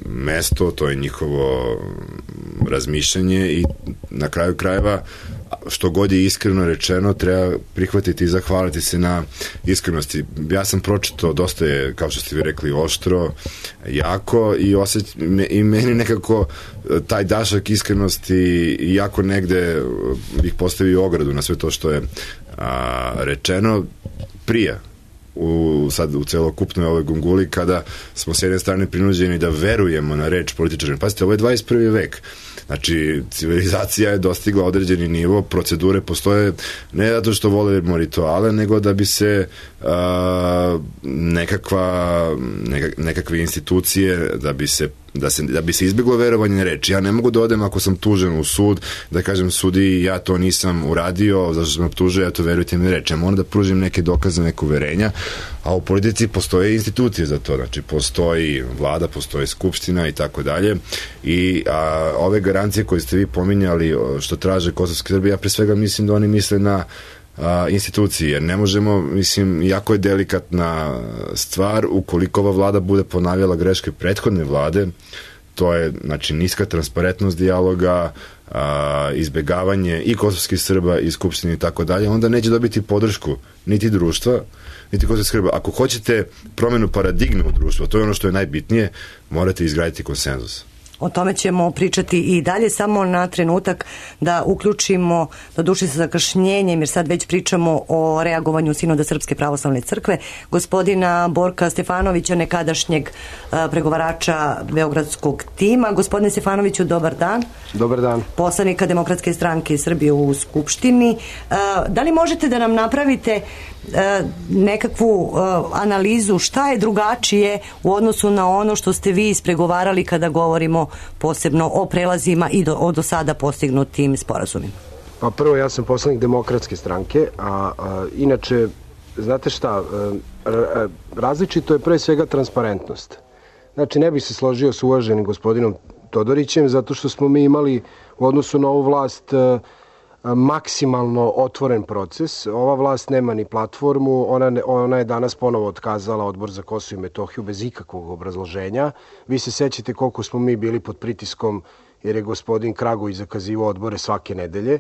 mesto, to je njihovo razmišljanje i na kraju krajeva, što god je iskreno rečeno, treba prihvatiti i zahvaliti se na iskrenosti. Ja sam pročitao, dosta je, kao što ste vi rekli, oštro, jako i meni nekako taj dašak iskrenosti jako negde bih postavio ogradu na sve to što je rečeno prije sad u celokupnoj ovoj gunguli, kada smo s jedne strane prinuđeni da verujemo na reč političara. Pazite, ovo je 21. vek. Znači, civilizacija je dostigla određeni nivo, procedure postoje ne zato što volimo rituale, nego da bi se nekakve institucije, da bi se izbjeglo verovanje na reč. Ja ne mogu da odem ako sam tužen u sud, da kažem sudi ja to nisam uradio, zašto sam optužio, ja to verujte mi na reč. Ja moram da pružim neke dokaze, neke uverenja, a u politici postoje institucije za to. Znači, postoji vlada, postoji skupština i tako dalje. I ove garancije koje ste vi pominjali, što traže kosovski Srbi, ja pre svega mislim da oni misle na institucije, jer ne možemo, mislim, jako je delikatna stvar ukoliko ova vlada bude ponavljala greške prethodne vlade, to je, znači, niska transparentnost dijaloga, izbegavanje i kosovskih Srba i skupštine i tako dalje, onda neće dobiti podršku niti društva, niti kosovskih Srba. Ako hoćete promenu paradigme u društvu, to je ono što je najbitnije, morate izgraditi konsenzus. O tome ćemo pričati i dalje, samo na trenutak da uključimo, doduše sa zakašnjenjem, jer sad već pričamo o reagovanju Sinoda Srpske pravoslavne crkve, gospodina Borka Stefanovića, nekadašnjeg pregovarača beogradskog tima. Gospodine Stefanoviću, dobar dan. Dobar dan. Poslanika Demokratske stranke Srbije u Skupštini. Da li možete da nam napravite nekakvu analizu šta je drugačije u odnosu na ono što ste vi ispregovarali kada govorimo posebno o prelazima i o do sada postignutim sporazumima? Pa prvo, ja sam poslanik Demokratske stranke, a inače, znate šta, različito je pre svega transparentnost. Znači, ne bih se složio s uvaženim gospodinom Todorićem, zato što smo mi imali u odnosu na ovu vlast maksimalno otvoren proces. Ova vlast nema ni platformu, ona je danas ponovo otkazala Odbor za Kosovo i Metohiju bez ikakvog obrazloženja. Vi se sećate koliko smo mi bili pod pritiskom, jer je gospodin Kragović zakazivao odbore svake nedelje.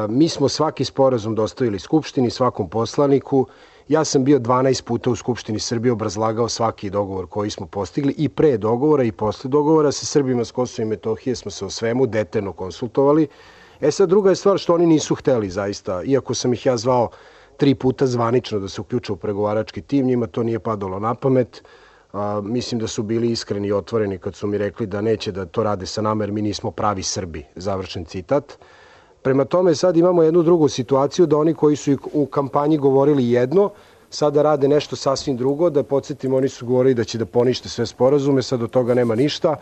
Mi smo svaki sporazum dostavili Skupštini, svakom poslaniku. Ja sam bio 12 puta u Skupštini Srbije, obrazlagao svaki dogovor koji smo postigli i pre dogovora i posle dogovora. Sa Srbima s Kosova i Metohije smo se o svemu detaljno konsultovali. Sad, druga je stvar što oni nisu hteli zaista, iako sam ih ja zvao 3 puta zvanično da se uključe u pregovarački tim, njima to nije padalo na pamet. Mislim da su bili iskreni i otvoreni kad su mi rekli da neće da to rade sa nama jer mi nismo pravi Srbi, završen citat. Prema tome, sad imamo jednu drugu situaciju da oni koji su u kampanji govorili jedno, sada rade nešto sasvim drugo. Da podsjetimo, oni su govorili da će da ponište sve sporazume, sad od toga nema ništa.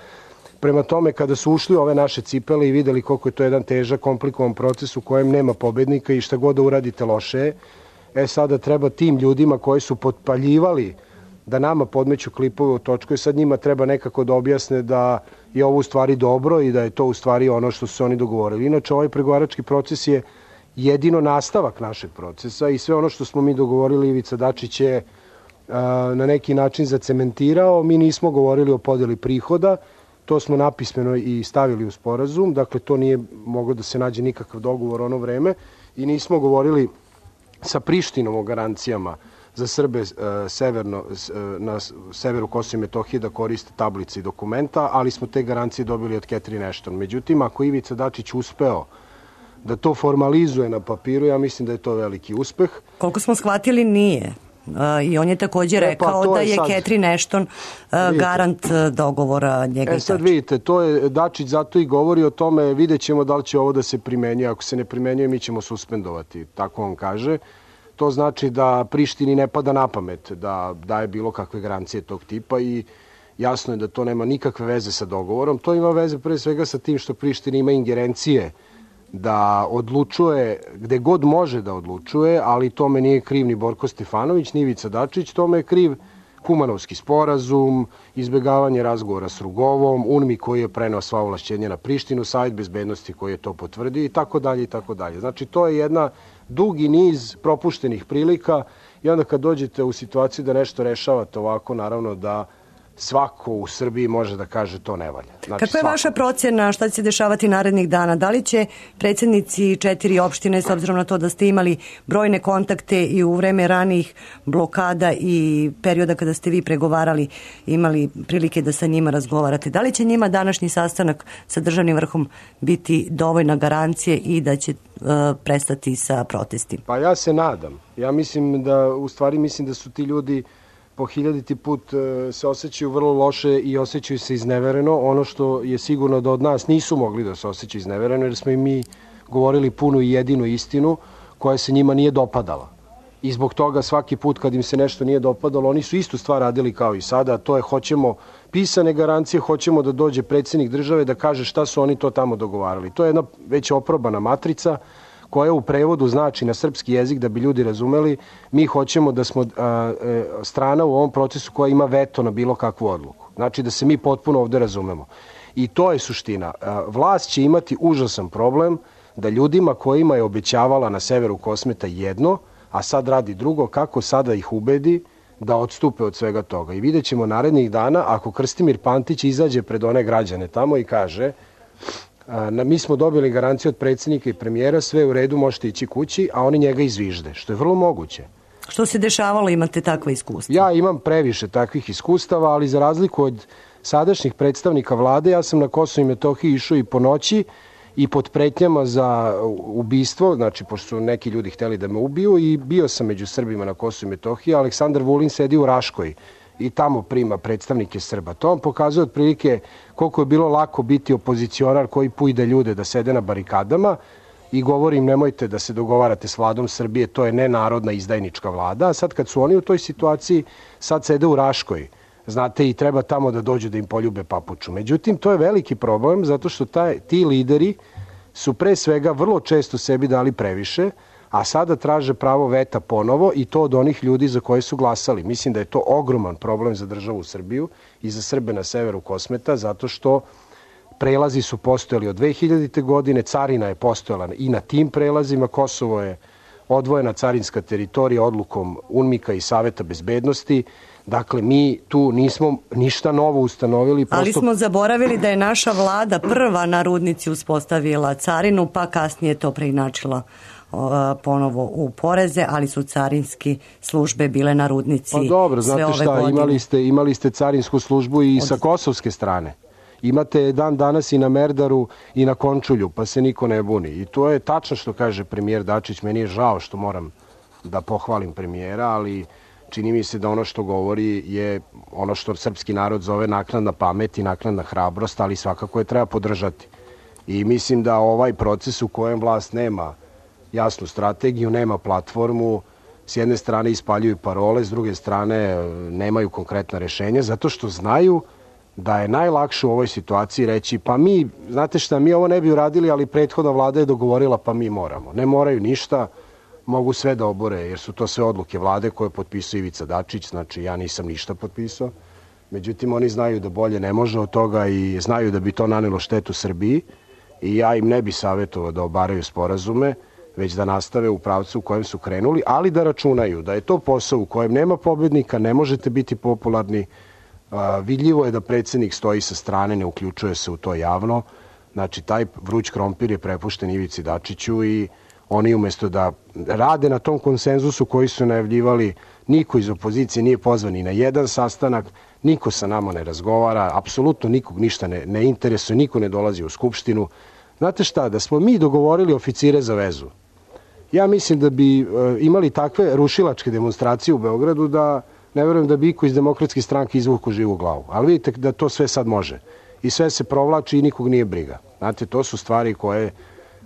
Prema tome, kada su ušli ove naše cipele i videli koliko je to jedan težak, komplikovan proces u kojem nema pobednika i šta god da uradite loše je, sada treba tim ljudima koji su potpaljivali da nama podmeću klipove u točku i sad njima treba nekako da objasne da je ovo u stvari dobro i da je to u stvari ono što su se oni dogovorili. Inače, ovaj pregovarački proces je jedino nastavak našeg procesa i sve ono što smo mi dogovorili Ivica Dačić je na neki način zacementirao. Mi nismo govorili o podeli prihoda, to smo napismeno i stavili u sporazum, dakle to nije moglo da se nađe nikakav dogovor ono vreme i nismo govorili sa Prištinom o garancijama za Srbe na severu Kosova i Metohije da koriste tablice i dokumenta, ali smo te garancije dobili od Catherine Ashton. Međutim, ako Ivica Dačić uspeo da to formalizuje na papiru, ja mislim da je to veliki uspeh. Koliko smo shvatili, nije. I on je također rekao da je Catherine Ashton garant dogovora njega. Sad vidite, to je Dačić zato i govori o tome, vidjet ćemo da li će ovo da se primenjuje. Ako se ne primenjuje, mi ćemo suspendovati, tako on kaže. To znači da Prištini ne pada na pamet da daje bilo kakve garancije tog tipa i jasno je da to nema nikakve veze sa dogovorom. To ima veze pre svega sa tim što Priština ima ingerencije da odlučuje gde god može da odlučuje, ali tome nije kriv ni Borko Stefanović, ni Ivica Dačić, tome je kriv Kumanovski sporazum, izbegavanje razgovora s Rugovom, UNMI koji je preneo sva ovlašćenja na Prištinu, Savet bezbednosti koji je to potvrdio i tako dalje i tako dalje. Znači to je jedna dugi niz propuštenih prilika i onda kad dođete u situaciju da nešto rešavate ovako, naravno da svako u Srbiji može da kaže to ne valja. Znači, kakva je vaša procena šta će se dešavati narednih dana? Da li će predsjednici 4 opštine, s obzirom na to da ste imali brojne kontakte i u vreme ranijih blokada i perioda kada ste vi pregovarali, imali prilike da sa njima razgovarate, da li će njima današnji sastanak sa državnim vrhom biti dovoljna garancije i da će prestati sa protestima? Pa ja se nadam. Ja mislim da su ti ljudi po 1000. put se osjećaju vrlo loše i osjećaju se iznevereno. Ono što je sigurno da od nas nisu mogli da se osjećaju iznevereno, jer smo i mi govorili punu i jedinu istinu koja se njima nije dopadala. I zbog toga svaki put kad im se nešto nije dopadalo, oni su istu stvar radili kao i sada, a to je hoćemo pisane garancije, hoćemo da dođe predsjednik države da kaže šta su oni to tamo dogovarali. To je jedna već oprobana matrica koja u prevodu znači na srpski jezik, da bi ljudi razumeli, mi hoćemo da smo strana u ovom procesu koja ima veto na bilo kakvu odluku. Znači da se mi potpuno ovde razumemo. I to je suština. Vlast će imati užasan problem da ljudima kojima je obećavala na severu Kosmeta jedno, a sad radi drugo, kako sada ih ubedi da odstupe od svega toga. I vidjet ćemo narednih dana ako Krstimir Pantić izađe pred one građane tamo i kaže mi smo dobili garanciju od predsjednika i premijera, sve u redu, možete ići kući, a oni njega izvižde, što je vrlo moguće. Što se dešavalo, imate takva iskustva? Ja imam previše takvih iskustava, ali za razliku od sadašnjih predstavnika vlade, ja sam na Kosovo i Metohiji išao i po noći i pod pretnjama za ubistvo, znači pošto su neki ljudi hteli da me ubiju, i bio sam među Srbima na Kosovo i Metohiji. Aleksandar Vulin sedi u Raškoj i tamo prima predstavnike Srba. To vam pokazuje otprilike koliko je bilo lako biti opozicionar koji pujde ljude da sede na barikadama i govori im nemojte da se dogovarate s vladom Srbije, to je nenarodna izdajnička vlada. A sad kad su oni u toj situaciji, sad sede u Raškoj, znate, i treba tamo da dođu da im poljube papuču. Međutim, to je veliki problem zato što ti lideri su pre svega vrlo često sebi dali previše, a sada traže pravo veta ponovo i to od onih ljudi za koje su glasali. Mislim da je to ogroman problem za državu Srbiju i za Srbe na severu Kosmeta, zato što prelazi su postojali od 2000. godine, carina je postojala i na tim prelazima, Kosovo je odvojena carinska teritorija odlukom UNMIK-a i Saveta bezbednosti. Dakle, mi tu nismo ništa novo ustanovili. Ali smo zaboravili da je naša vlada prva na Rudnici uspostavila carinu, pa kasnije to preinačila ponovo u poreze, ali su carinski službe bile na Rudnici. Pa dobro, znate šta, imali ste carinsku službu i sa kosovske strane. Imate dan danas i na Merdaru i na Končulju, pa se niko ne buni. I to je tačno što kaže premijer Dačić. Meni je žao što moram da pohvalim premijera, ali čini mi se da ono što govori je ono što srpski narod zove naknadna pamet i naknadna hrabrost, ali svakako je treba podržati. I mislim da ovaj proces u kojem vlast nema jasnu strategiju, nema platformu, s jedne strane ispaljuju parole, s druge strane nemaju konkretna rešenja, zato što znaju da je najlakše u ovoj situaciji reći pa mi, znate šta, mi ovo ne bi uradili, ali prethodna vlada je dogovorila pa mi moramo. Ne moraju ništa, mogu sve da obore, jer su to sve odluke vlade koje potpisuje Ivica Dačić, znači ja nisam ništa potpisao. Međutim, oni znaju da bolje ne može od toga i znaju da bi to nanelo štetu Srbiji i ja im ne bi savjetovao da obaraju sporazume, već da nastave u pravcu u kojem su krenuli, ali da računaju da je to posao u kojem nema pobednika, ne možete biti popularni. Vidljivo je da predsjednik stoji sa strane, ne uključuje se u to javno. Znači, taj vruć krompir je prepušten Ivici Dačiću i oni umjesto da rade na tom konsenzusu koji su najavljivali, niko iz opozicije nije pozvan ni na jedan sastanak, niko sa nama ne razgovara, apsolutno nikog ništa ne interesuje, niko ne dolazi u Skupštinu. Znate šta, da smo mi dogovorili oficire za vezu Ja mislim da bi imali takve rušilačke demonstracije u Beogradu da ne verujem da bi iko iz Demokratske stranke izvuku živu glavu. Ali vidite da to sve sad može. I sve se provlači i nikog nije briga. Znate, to su stvari koje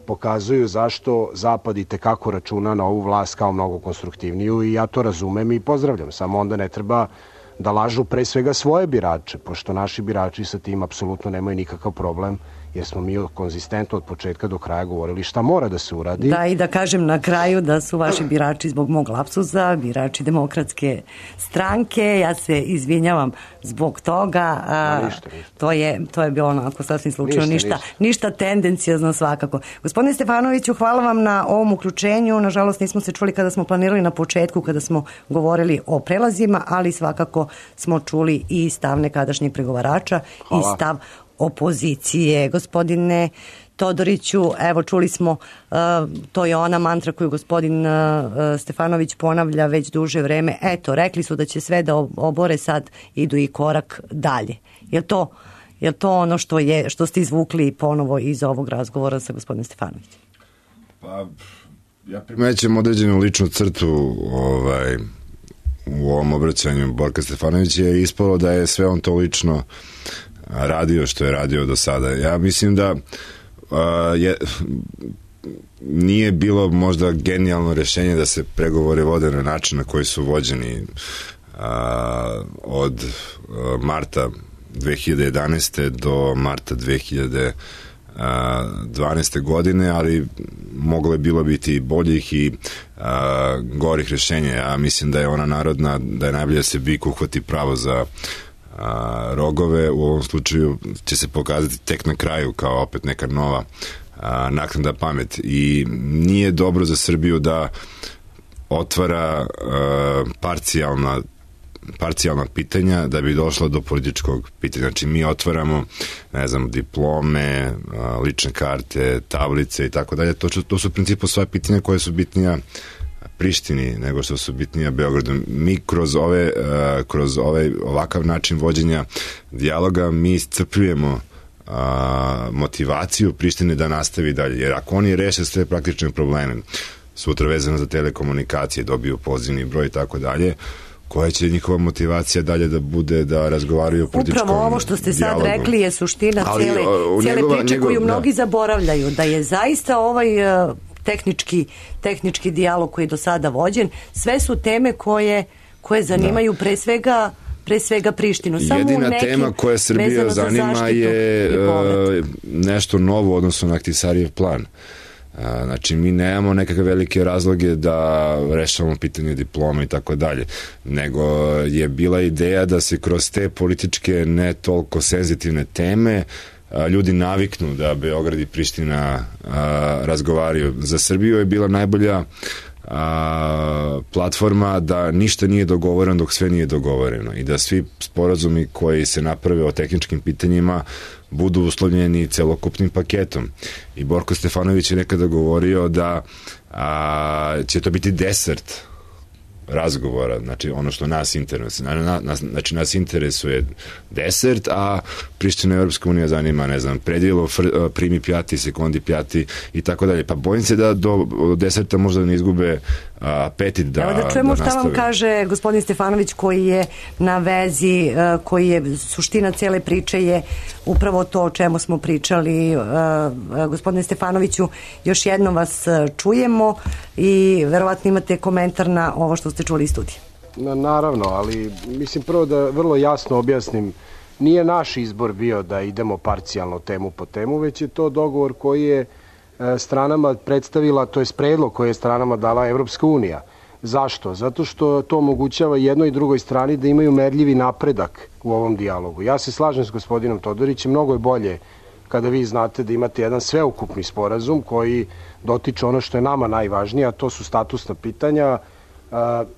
pokazuju zašto Zapad i tekako računa na ovu vlast kao mnogo konstruktivniju i ja to razumem i pozdravljam. Samo onda ne treba da lažu pre svega svoje birače, pošto naši birači sa tim apsolutno nemaju nikakav problem, jer smo mi konzistentno od početka do kraja govorili šta mora da se uradi. Da, i da kažem na kraju da su vaši birači zbog mog lapsusa, birači Demokratske stranke. Ja se izvinjavam zbog toga. Ništa. To je bilo onako sasvim slučajno. Ništa tendencijozno svakako. Gospodine Stefanoviću, hvala vam na ovom uključenju. Nažalost, nismo se čuli kada smo planirali na početku, kada smo govorili o prelazima, ali svakako smo čuli i stav nekadašnjeg pregovarača i stav opozicije. Gospodine Todoriću, evo čuli smo, to je ona mantra koju gospodin Stefanović ponavlja već duže vreme. Eto, rekli su da će sve da obore, sad idu i korak dalje. Je to ono što ste izvukli ponovo iz ovog razgovora sa gospodinom Stefanovićem? Pa, ja primećem određenu ličnu crtu u ovom obraćanju Borka Stefanovića, je ispalo da je sve on to lično radio što je radio do sada. Ja mislim da nije bilo možda genijalno rešenje da se pregovori vode na način na koji su vođeni od marta 2011. do marta 2012. godine, ali moglo je bilo biti boljih i gorih rešenja. Ja mislim da je ona narodna, da je najbolje da se bik uhvati pravo za rogove. U ovom slučaju će se pokazati tek na kraju kao opet neka nova naknadna pamet i nije dobro za Srbiju da otvara parcijalna pitanja da bi došlo do političkog pitanja. Znači mi otvaramo, ne znam, diplome, lične karte, tablice i tako dalje. To su u principu sva pitanja koje su bitnija Prištini nego što su bitnija Beogradu. Mi kroz ovakav način vođenja dijaloga mi iscrpljujemo motivaciju Prištine da nastavi dalje. Jer ako oni reše sve praktične probleme, sutra vezano za telekomunikacije, dobiju pozivni broj i tako dalje, koja će njihova motivacija dalje da bude da razgovaraju o političkom dijalogu. Upravo ovo što ste sad rekli je suština cijele priče koju mnogi zaboravljaju, da je zaista ovaj tehnički dijalog koji je do sada vođen, sve su teme koje zanimaju pre svega Prištinu. Jedina tema koja Srbija zanima je nešto novo odnosno na Ahtisarijev plan. Znači mi nemamo nekakve velike razloge da rešavamo pitanje diploma i tako dalje, nego je bila ideja da se kroz te političke ne toliko senzitivne teme ljudi naviknu da Beograd i Priština razgovaraju. Za Srbiju je bila najbolja platforma da ništa nije dogovoreno dok sve nije dogovoreno i da svi sporazumi koji se naprave o tehničkim pitanjima budu uslovljeni celokupnim paketom. I Borko Stefanović je nekada govorio da će to biti desert razgovora, znači ono što nas interesuje. Znači nas interesuje desert, a Priština Evropska unija zanima, ne znam, predijelo, primi pjati, sekundi pjati i tako dalje. Pa bojim se da do deserta možda ne izgube apetit da nastave. Evo da čujemo šta vam kaže gospodin Stefanović koji je na vezi, koji je suština cele priče je upravo to o čemu smo pričali. Gospodine Stefanoviću, još jednom vas čujemo i verovatno imate komentar na ovo što ste čuli iz studija. Naravno, ali mislim prvo da vrlo jasno objasnim, nije naš izbor bio da idemo parcijalno temu po temu, već je to dogovor koji je stranama predstavila, to je predlog koji je stranama dala Evropska unija. Zašto? Zato što to omogućava jednoj i drugoj strani da imaju merljivi napredak u ovom dijalogu. Ja se slažem s gospodinom Todorićem, mnogo je bolje kada vi znate da imate jedan sveukupni sporazum koji dotiče ono što je nama najvažnije, a to su statusna pitanja,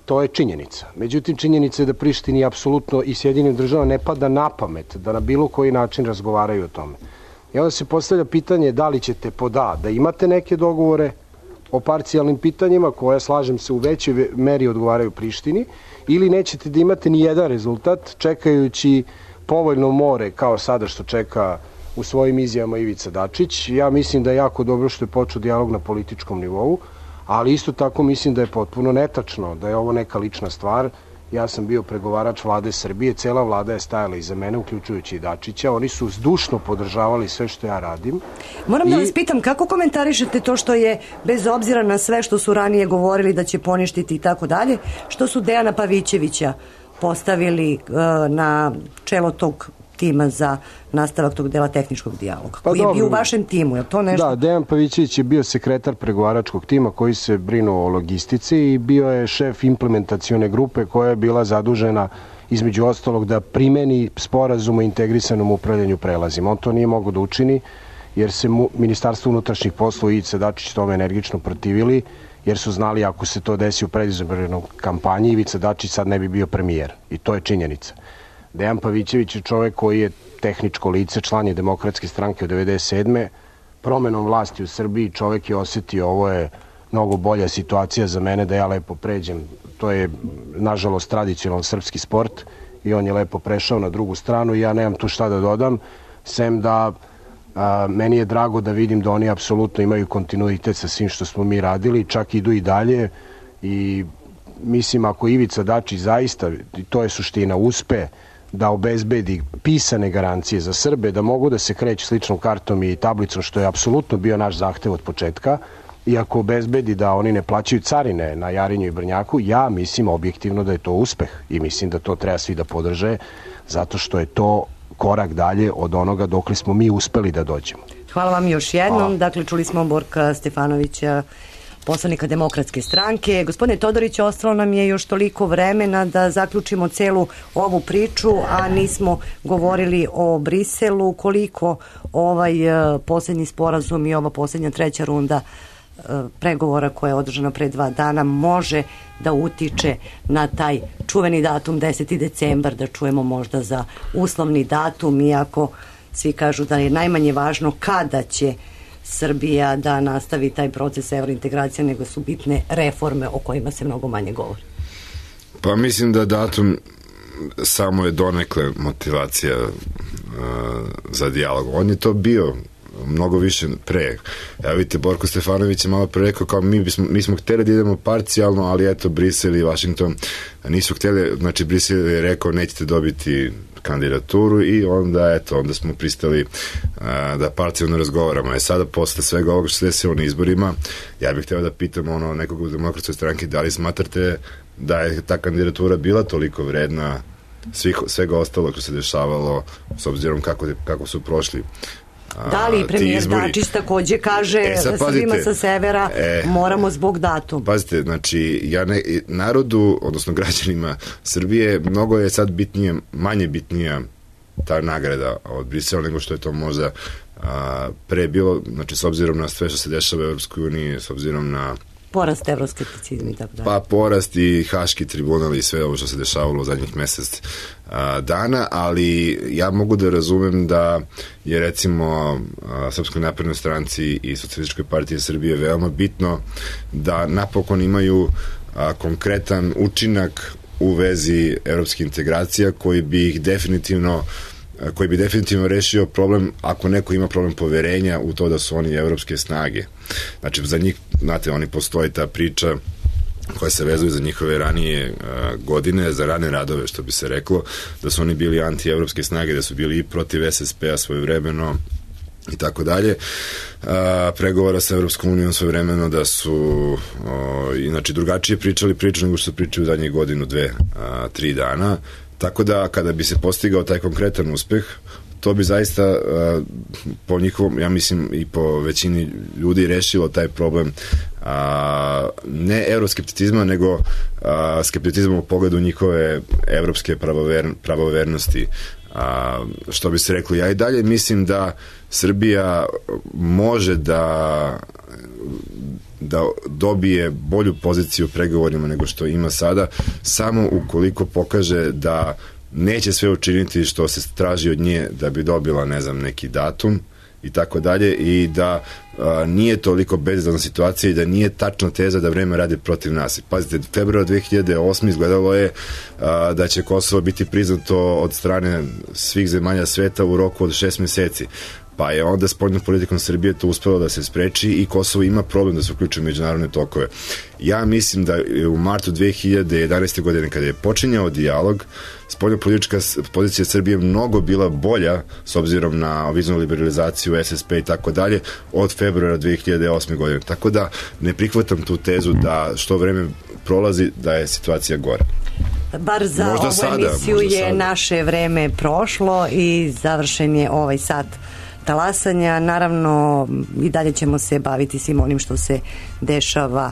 to je činjenica. Međutim, činjenica je da Prištini apsolutno i Sjedinim državama ne pada na pamet da na bilo koji način razgovaraju o tome. I onda se postavlja pitanje da li ćete da imate neke dogovore o parcijalnim pitanjima koja, slažem se, u većoj meri odgovaraju Prištini, ili nećete da imate ni jedan rezultat čekajući povoljno more kao sada što čeka u svojim izjavama Ivica Dačić. Ja mislim da je jako dobro što je počeo dijalog na političkom nivou, ali isto tako mislim da je potpuno netačno, da je ovo neka lična stvar. Ja sam bio pregovarač vlade Srbije, cela vlada je stajala iza mene, uključujući i Dačića, oni su zdušno podržavali sve što ja radim. Moram da vas pitam, kako komentarišete to što je, bez obzira na sve što su ranije govorili da će poništiti i tako dalje, što su Dejana Pavićevića postavili na čelo tog tima za nastavak tog dela tehničkog dijaloga, koji je bio u vašem timu, je to nešto? Da, Dejan Pavićević je bio sekretar pregovaračkog tima koji se brinuo o logistici i bio je šef implementacione grupe koja je bila zadužena između ostalog da primeni sporazum o integrisanom upravljanju prelazima. On to nije mogao da učini jer se Ministarstvo unutrašnjih poslova i Ivica Dačić tome energično protivili, jer su znali ako se to desi u predizbornoj kampanji, Ivica Dačić sad ne bi bio premijer. I to je činjenica. Dejan Pavićević je čovek koji je tehničko lice, član je Demokratske stranke od 1997. Promenom vlasti u Srbiji čovek je osetio ovo je mnogo bolja situacija za mene da ja lepo pređem. To je, nažalost, tradicionalan srpski sport i on je lepo prešao na drugu stranu i ja nemam tu šta da dodam, sem da meni je drago da vidim da oni apsolutno imaju kontinuitet sa svim što smo mi radili, čak idu i dalje i mislim ako Ivica Dačić zaista, to je suština, uspe da obezbedi pisane garancije za Srbe, da mogu da se kreću sličnom kartom i tablicom, što je apsolutno bio naš zahtev od početka, i ako obezbedi da oni ne plaćaju carine na Jarinju i Brnjaku, ja mislim objektivno da je to uspeh i mislim da to treba svi da podrže, zato što je to korak dalje od onoga dokle smo mi uspeli da dođemo. Hvala vam još jednom. Dakle, čuli smo Borka Stefanovića, poslanika Demokratske stranke. Gospodine Todorić, ostalo nam je još toliko vremena da zaključimo celu ovu priču, a nismo govorili o Briselu. Koliko ovaj posljednji sporazum i ova posljednja treća runda pregovora koja je održana pre 2 dana može da utiče na taj čuveni datum 10. decembar, da čujemo možda za uslovni datum, iako svi kažu da je najmanje važno kada će Srbija da nastavi taj proces evrointegracije, nego su bitne reforme o kojima se mnogo manje govori. Pa mislim da datum samo je donekle motivacija za dijalog. On je to bio mnogo više pre. Evo vidite, Borko Stefanović je malo pre rekao kao mi smo hteli da idemo parcijalno, ali eto Brisel i Washington nisu hteli, znači Brisel je rekao nećete dobiti kandidaturu i onda smo pristali da parcijalno razgovaramo. Sada posle svega ovoga što se desilo na izborima, ja bih hteo da pitam nekog u Demokratskoj stranki da li smatrate da je ta kandidatura bila toliko vredna svega ostalog što se dešavalo s obzirom kako su prošli da li premijer Dačić takođe kaže da Srbima sa severa moramo zbog datuma. Pazite, znači narodu, odnosno građanima Srbije mnogo je sad manje bitnija ta nagrada od Brisela nego što je to možda pre bilo, znači s obzirom na sve što se dešava u Evropskoj uniji, s obzirom na porast evroskepticizma i tako dalje. Pa porast i Haški tribunal i sve ovo što se dešavalo u zadnjih mesec dana, ali ja mogu da razumem da je recimo Srpskoj naprednoj stranci i Socijalističkoj partiji Srbije veoma bitno da napokon imaju konkretan učinak u vezi evropskih integracija koji bi definitivno rešio problem ako neko ima problem poverenja u to da su oni evropske snage. Znači za njih, znate, oni postoji ta priča koja se vezuje za njihove ranije godine, za rane radove, što bi se reklo, da su oni bili anti-evropske snage, da su bili i protiv SSP-a svojevremeno i tako dalje. Pregovora sa Evropskom unijom svojevremeno da su inače drugačije pričali priču nego što su pričali u zadnjih godinu, 2, 3 dana. Tako da kada bi se postigao taj konkretan uspeh, to bi zaista po njihovom, ja mislim i po većini ljudi rešilo taj problem ne euroskepticizma, nego skepticizma u pogledu njihove evropske pravovernosti. Što bi se reklo, ja i dalje mislim da Srbija može da dobije bolju poziciju u pregovorima nego što ima sada, samo ukoliko pokaže da neće sve učiniti što se traži od nje da bi dobila, ne znam, neki datum i tako dalje, i da nije toliko bezizlazna situacija i da nije tačna teza da vreme radi protiv nas. Pazite, februara 2008. izgledalo je da će Kosovo biti priznato od strane svih zemalja sveta u roku od 6 meseci. pa je onda spoljnom politikom Srbije to uspelo da se spreči i Kosovo ima problem da se uključi u međunarodne tokove. Ja mislim da u martu 2011. godine kada je počinjao dijalog, spoljnopolitička pozicija Srbije mnogo bila bolja s obzirom na viznu liberalizaciju, SSP i tako dalje od februara 2008. godine. Tako da ne prihvatam tu tezu da što vreme prolazi da je situacija gora. Bar za ovu emisiju je naše vreme prošlo i završen je ovaj sat talasanja. Naravno i dalje ćemo se baviti svim onim što se dešava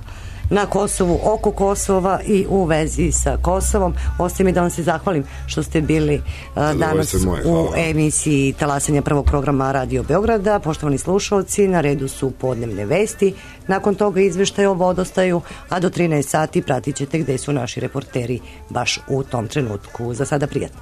na Kosovu, oko Kosova i u vezi sa Kosovom. Ostaje mi da vam se zahvalim što ste bili danas u emisiji talasanja prvog programa Radio Beograda. Poštovani slušalci, na redu su podnevne vesti, nakon toga izveštaj o vodostaju, a do 13 sati pratit ćete gde su naši reporteri baš u tom trenutku. Za sada prijatno.